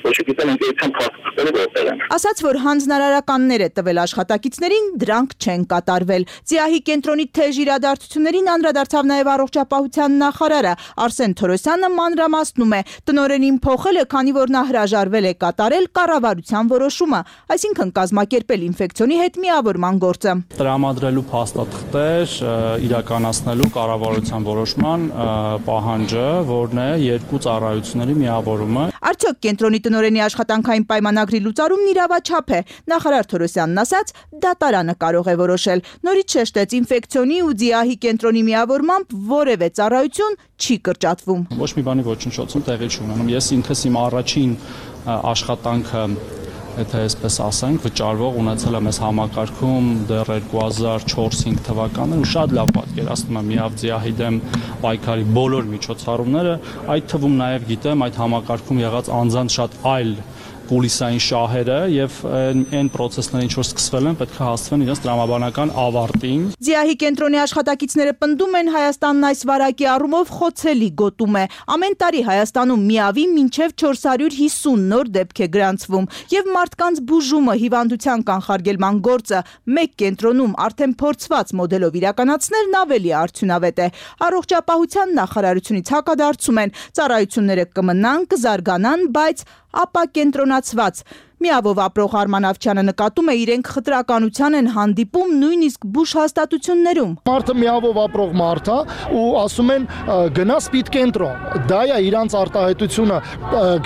Ոչ գիտեմ ընկերության փաստաթղթերը որտեղ են։ Ասաց, որ հանձնարարականներ է տվել աշխատակիցներին, դրանք չեն կատարվել։ ՁԻԱՀ-ի կենտրոնի թեժ իրադարձություններին անդրադարձավ նաև առողջապահության նախարարը Արսեն Թորոսյանը մանրամասնում է. տնօրենին փոխել է, քանի որ նա հրաժարվել է կատարել կառավարության որոշումը, այսինքն կազմակերպել ինֆեկցիոնի հետ միավորման գործը։ Տրամադրելու փաստաթղթեր իրականացնելու կառավարության որոշման պահանջը, որն է երկու ծառայությունների միավորումը։ Արդյոք կենտրոնի տնօրենի աշխատանքային պայմանագրի լուծարումն իրավաչափ է։ Նախարար Թորոսյանն ասաց, դատարանը կարող է որոշել։ Նորից շեշտեց, ինֆեկցիոնի ու ՁԻԱՀ-ի կենտրոնի միավորմամբ որևէ ծառայություն չի կրճատվում։ Ոչ մի բանի ոչնչոցում տեղի չունենում։ Ես ինքս իմ առաջին աշխատանքը, եթե այսպես ասենք, վճարվող ունեցել եմ այս համակարգում դեռ երկու հազար չորս-հինգ թվականներ ու շատ լավ պատկերացնում եմ միավ ՁԻԱՀ-ի դեմ պայքարի բոլոր միջոցառումները, այդ թվում նաև գիտեմ այդ համակարգում եղած անձանց շատ այլ կուլիսային շահերը եւ այն process-ները, ինչ որ սկսվել են, պետք է հասցվեն իրենց տրամաբանական ավարտին։ ԶԻԱՀ-ի կենտրոնի աշխատակիցները պնդում են, Հայաստանն այս վարակի առումով խոցելի գոտում է։ Ամեն տարի Հայաստանում միավի մինչև չորս հարյուր հիսուն նոր դեպք է գրանցվում եւ մարդկանց բուժումը, հիվանդության կանխարգելման գործը մեկ կենտրոնում արդեն փորձված մոդելով իրականացնելն ավելի արդյունավետ է։ Առողջապահության նախարարությունից հակադարձում են, ծառայությունները կմնան, կզարգանան, բայց ապա կենտրոնացված։ Միավով ապրող Արման Ավչյանը նկատում է, իրենք խտրականության են հանդիպում նույնիսկ բուժ հաստատություններում։ Մարդը միավով ապրող մարդ է ու ասում են գնա սպիտ կենտրոն։ Դա է իրանց արտահայտությունը,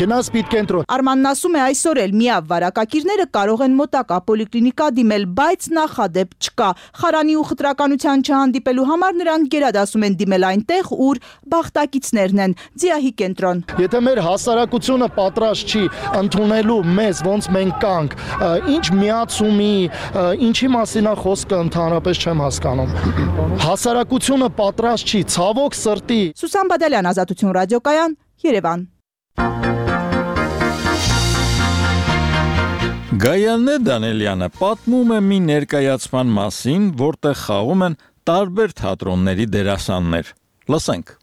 գնա սպիտ կենտրոն։ Արմանն ասում է, այսօր էլ միավ վարակակիրները կարող են մոտակա պոլիկլինիկա դիմել, բայց նախադեպ չկա։ Խարանի ու խտրականության չհանդիպելու համար նրանք գերադասում են դիմել այնտեղ, ուր բախտակիցներն են, ՁԻԱՀ-ի կենտրոն։ Եթե մեր հասարակությունը պատրաստ չի ընդունելու մեզ ոնց մենք կանք, ինչ միացումի, ինչի մասին է խոսքը ընդհանրապես չեմ հասկանում։ Հասարակությունը պատրաստ չի, ցավոք սրտի։ Սուսան Բադալյան, Ազատություն ռադիոկայան, Երևան։ Գայանե Դանելյանը պատմում է մի ներկայացման մասին, որտեղ խաղում են տարբեր թատրոնների դերասաններ։ Լսենք։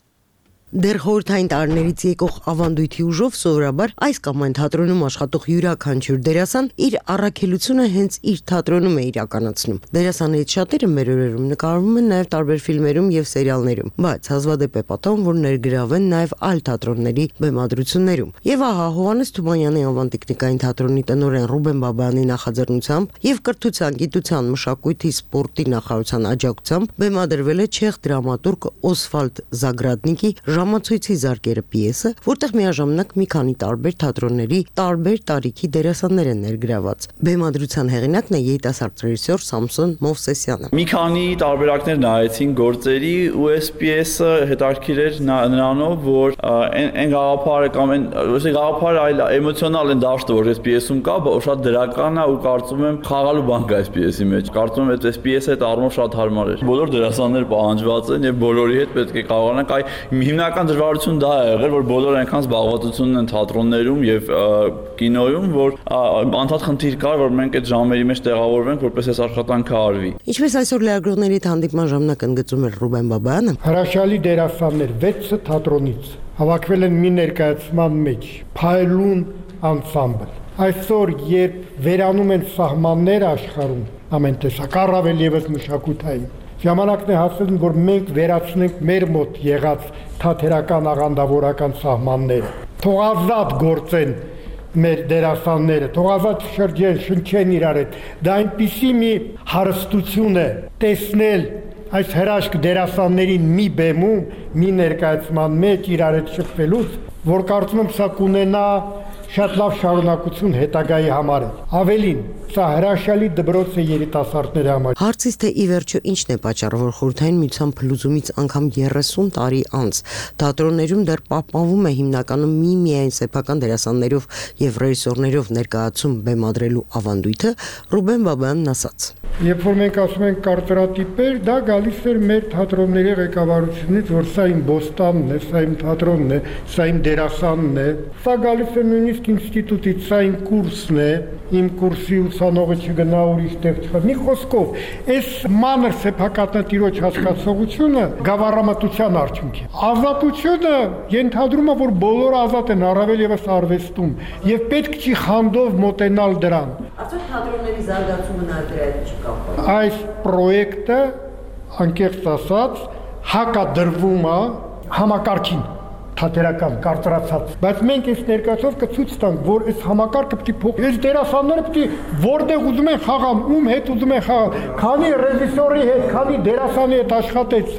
Դեռ խորհրդային տարիներից եկող ավանդույթի ուժով սովորաբար այս կամ այն թատրոնում աշխատող յուրաքանչյուր դերասան իր առաքելությունը հենց իր թատրոնում է իրականացնում։ Դերասաններից շատերը մեր օրերում նկարվում են նաև տարբեր ֆիլմերում եւ սերիալներում, բայց հազվադեպ է պատահում, որ ներգրավեն նաև այլ թատրոնների բեմադրություններում։ Եվ ահա Հովհաննես Թումանյանի անվան տեխնիկային թատրոնի տնօրեն Ռուբեն Բաբայանի նախաձեռնությամբ եւ կրթության, գիտության, մշակույթի, սպորտի նախարարության աջակցությամբ բեմադրվել է չեխ դրամատուրգ Օսվալդ Զագրադնիկի ժամացույցի զարկերը պիեսը, որտեղ միաժամանակ մի քանի տարբեր թատրոնների տարբեր տարիքի դերասաններ են ներգրաված։ Բեմադրության հեղինակն է երիտասարդ ռեժիսոր Սամսոն Մովսեսյանը։ Մի քանի տարբերակներ նայեցին գործերի ու այս պիեսը հետաքրքիր էր նրանով, որ այն գաղափարը կամ այն ոչ գաղափարը, այլ էմոցիոնալ են դաշտը, որ այս պիեսում կա, շատ դրական է ու կարծում եմ խաղալու բան կա այս պիեսի մեջ։ Կարծում եմ այս պիեսը այդ առումով շատ հարմար էր։ Բոլոր դերասանները պահանջված են եւ բոլորի հետ պետք է կարողանանք այ հիմնական դժվարություն դա է եղել, որ բոլորը այնքան զբաղվածությունն են թատրոններում եւ կինոյում, որ անդադ խնդիր կար, որ մենք այդ ժամերի մեջ տեղավորվենք, որպես այս աշխատանքը արվի։ Ինչպես այսօր լրագրողների հետ հանդիպման ժամանակ ընդգծում էր Ռուբեն Բաբայանը, հրաշալի դերասաններ վեցը թատրոնից հավաքվել են մի ներկայացման մեջ, Փայլուն անսամբլ։ Այսօր, երբ վերանում են սահմաններ աշխարհում, ամեն տեսակ, առավել եւս մշակութային, ժամանակն է հասել, որ մենք վերացնենք մեր մոտ եղած թատերական աղանդավորական սահմանները։ Թող ազատ գործեն մեր դերասանները, թող ազատ շրջեն, շնչեն իրար հետ։ Դա այնպիսի մի հարստություն է տեսնել այս հրաշք դերասաններին մի բեմում, մի ներկայացման մեջ իրար հետ շփվելուց, որ կարծում եմ սա կունենա շատ լավ շարունակություն հետագայի համար է։ Ավելին, սա հրաշալի դպրոց է երիտասարդների համար։ Հարցից թե ի վերջո ինչն է պատճառը, որ խորհրդային միության փլուզումից անգամ երեսուն տարի անց թատրոններում դեռ պահպանվում է հիմնականում մի միայն սեփական դերասաններով եւ ռեժիսորներով ներկայացում բեմադրելու ավանդույթը, Ռուբեն Բաբայանն ասաց։ Երբ որ մենք ասում ենք կարծրատիպեր, դա գալիս էր մեր թատրոնների ղեկավարությունից, որ սա իմ բոստանն է, սա իմ թատրոնն է, սա իմ դերասանն է։ Սա գալիս է նույնիսկ ժուրնալիստիկ ինստիտուտից սա իմ կուրսն է, իմ կուրսի ուսանողը չգնա ուրիշ տեղ չխա։ Մի խոսքով, այս մանր սեփականատիրոջ հասկացողությունը գավառամտության արդյունք է։ Ազատությունը ենթադրում է, որ բոլորը ազատ են, առավել եւս արվեստում, եւ պետք չի խանդով մոտենալ դրան։ Արդյոք թատրոնների զարգացումը նաեւ դրա հետ չի կապված։ Այս պրոյեկտը, անկեղծ ասած, հակադրվում է համակարգին թատերական կարծրացած, բայց մենք այս ներկայացով կցույց տանք, որ այս համակարգը պետք է փոխվի։ Այս դերասանները պետք է որտեղ ուզում են խաղան, ում հետ ուզում են խաղան, քանի ռեժիսորի հետ, քանի դերասանի հետ աշխատեց,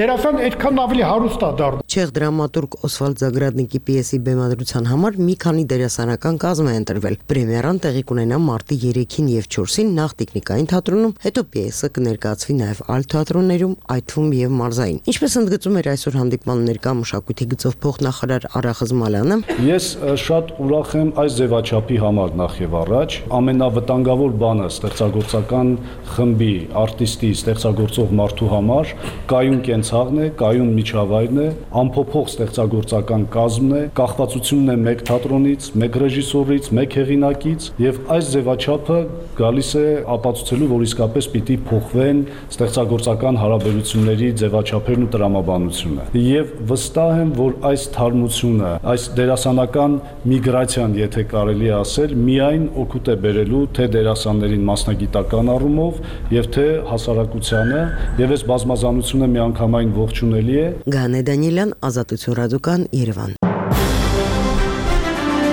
դերասան այդքան ավելի հարուստ է դառնում։ Չեխ դրամատուրգ Օսվալդ Զագրադնիկի պիեսի բեմադրության համար մի քանի դերասանական կազմ է ընտրվել։ Պրեմիերան տեղի կունենա մարտի երեքին եւ չորսին նախ Տիկնիկային թատրոնում, հետո պիեսը կներկայացվի նաեւ այլ թատրոններում, այդ թվում եւ մարզային։ Ինչպես ընդգծում էր այսօր հանդիպման ներկա մշակույթի գծով փոխնախարար Արա Խզմալյանը, ես շատ ուրախ եմ այս ձևաչափի համար նախ եւ առաջ։ Ամենավտանգավոր բանը ստեղծագործական խմբի, արտիստի, ստեղծագործող մարդու համար կայուն կենցաղն է, կայուն միջավայրն է, ամփոփող ստեղծագործական կազմն է, կախվածությունն է մեկ թատրոնից, մեկ ռեժիսորից, մեկ հեղինակից եւ այս ձևաչափը գալիս է ապացուցելու, որ իսկապես պիտի փոխվեն ստեղծագործական հարաբերությունների ձևաչափերն ու տրամաբանությունը։ Եվ վստահ եմ, որ այս թարմությունը, այս դերասանական միգրացիան, եթե կարելի է ասել, միայն օգուտ է բերելու թե դերասաններին մասնագիտական առումով եւ թե հասարակությանը, եւ այս բազմազանությունը միանգամայն ողջունելի է։ Գանե Դանիելյան, Ազատություն ռադիոկան, Երևան։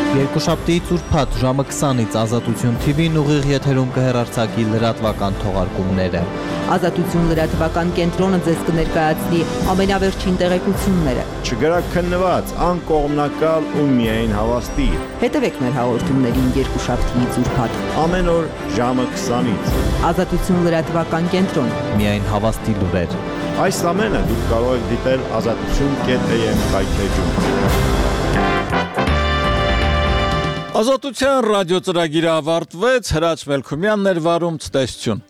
Երկուշաբթի ծուրփաթ ժամը քսանից Ազատություն թի վին ուղիղ եթերում կհեռարձակի լրատվական թողարկումները։ Ազատություն լրատվական կենտրոնը ձեզ կներկայացնի ամենավերջին տեղեկությունները։ Չգրաքննված, անկողմնակալ ու միայն հավաստի։ Հետևեք մեր հաղորդումներին երկուշաբթի ծուրփաթ ամեն օր ժամը քսանից։ Ազատություն լրատվական կենտրոն։ Միայն հավաստի լուրեր։ Այս ամենը դուք կարող եք դիտել ազատություն կետ էյ էմ կայքեջում։ Ազատության ռադիո ծրագիրը ավարտվեց, Հրաչ Մելքումյանն էր վարում, ցտեսություն։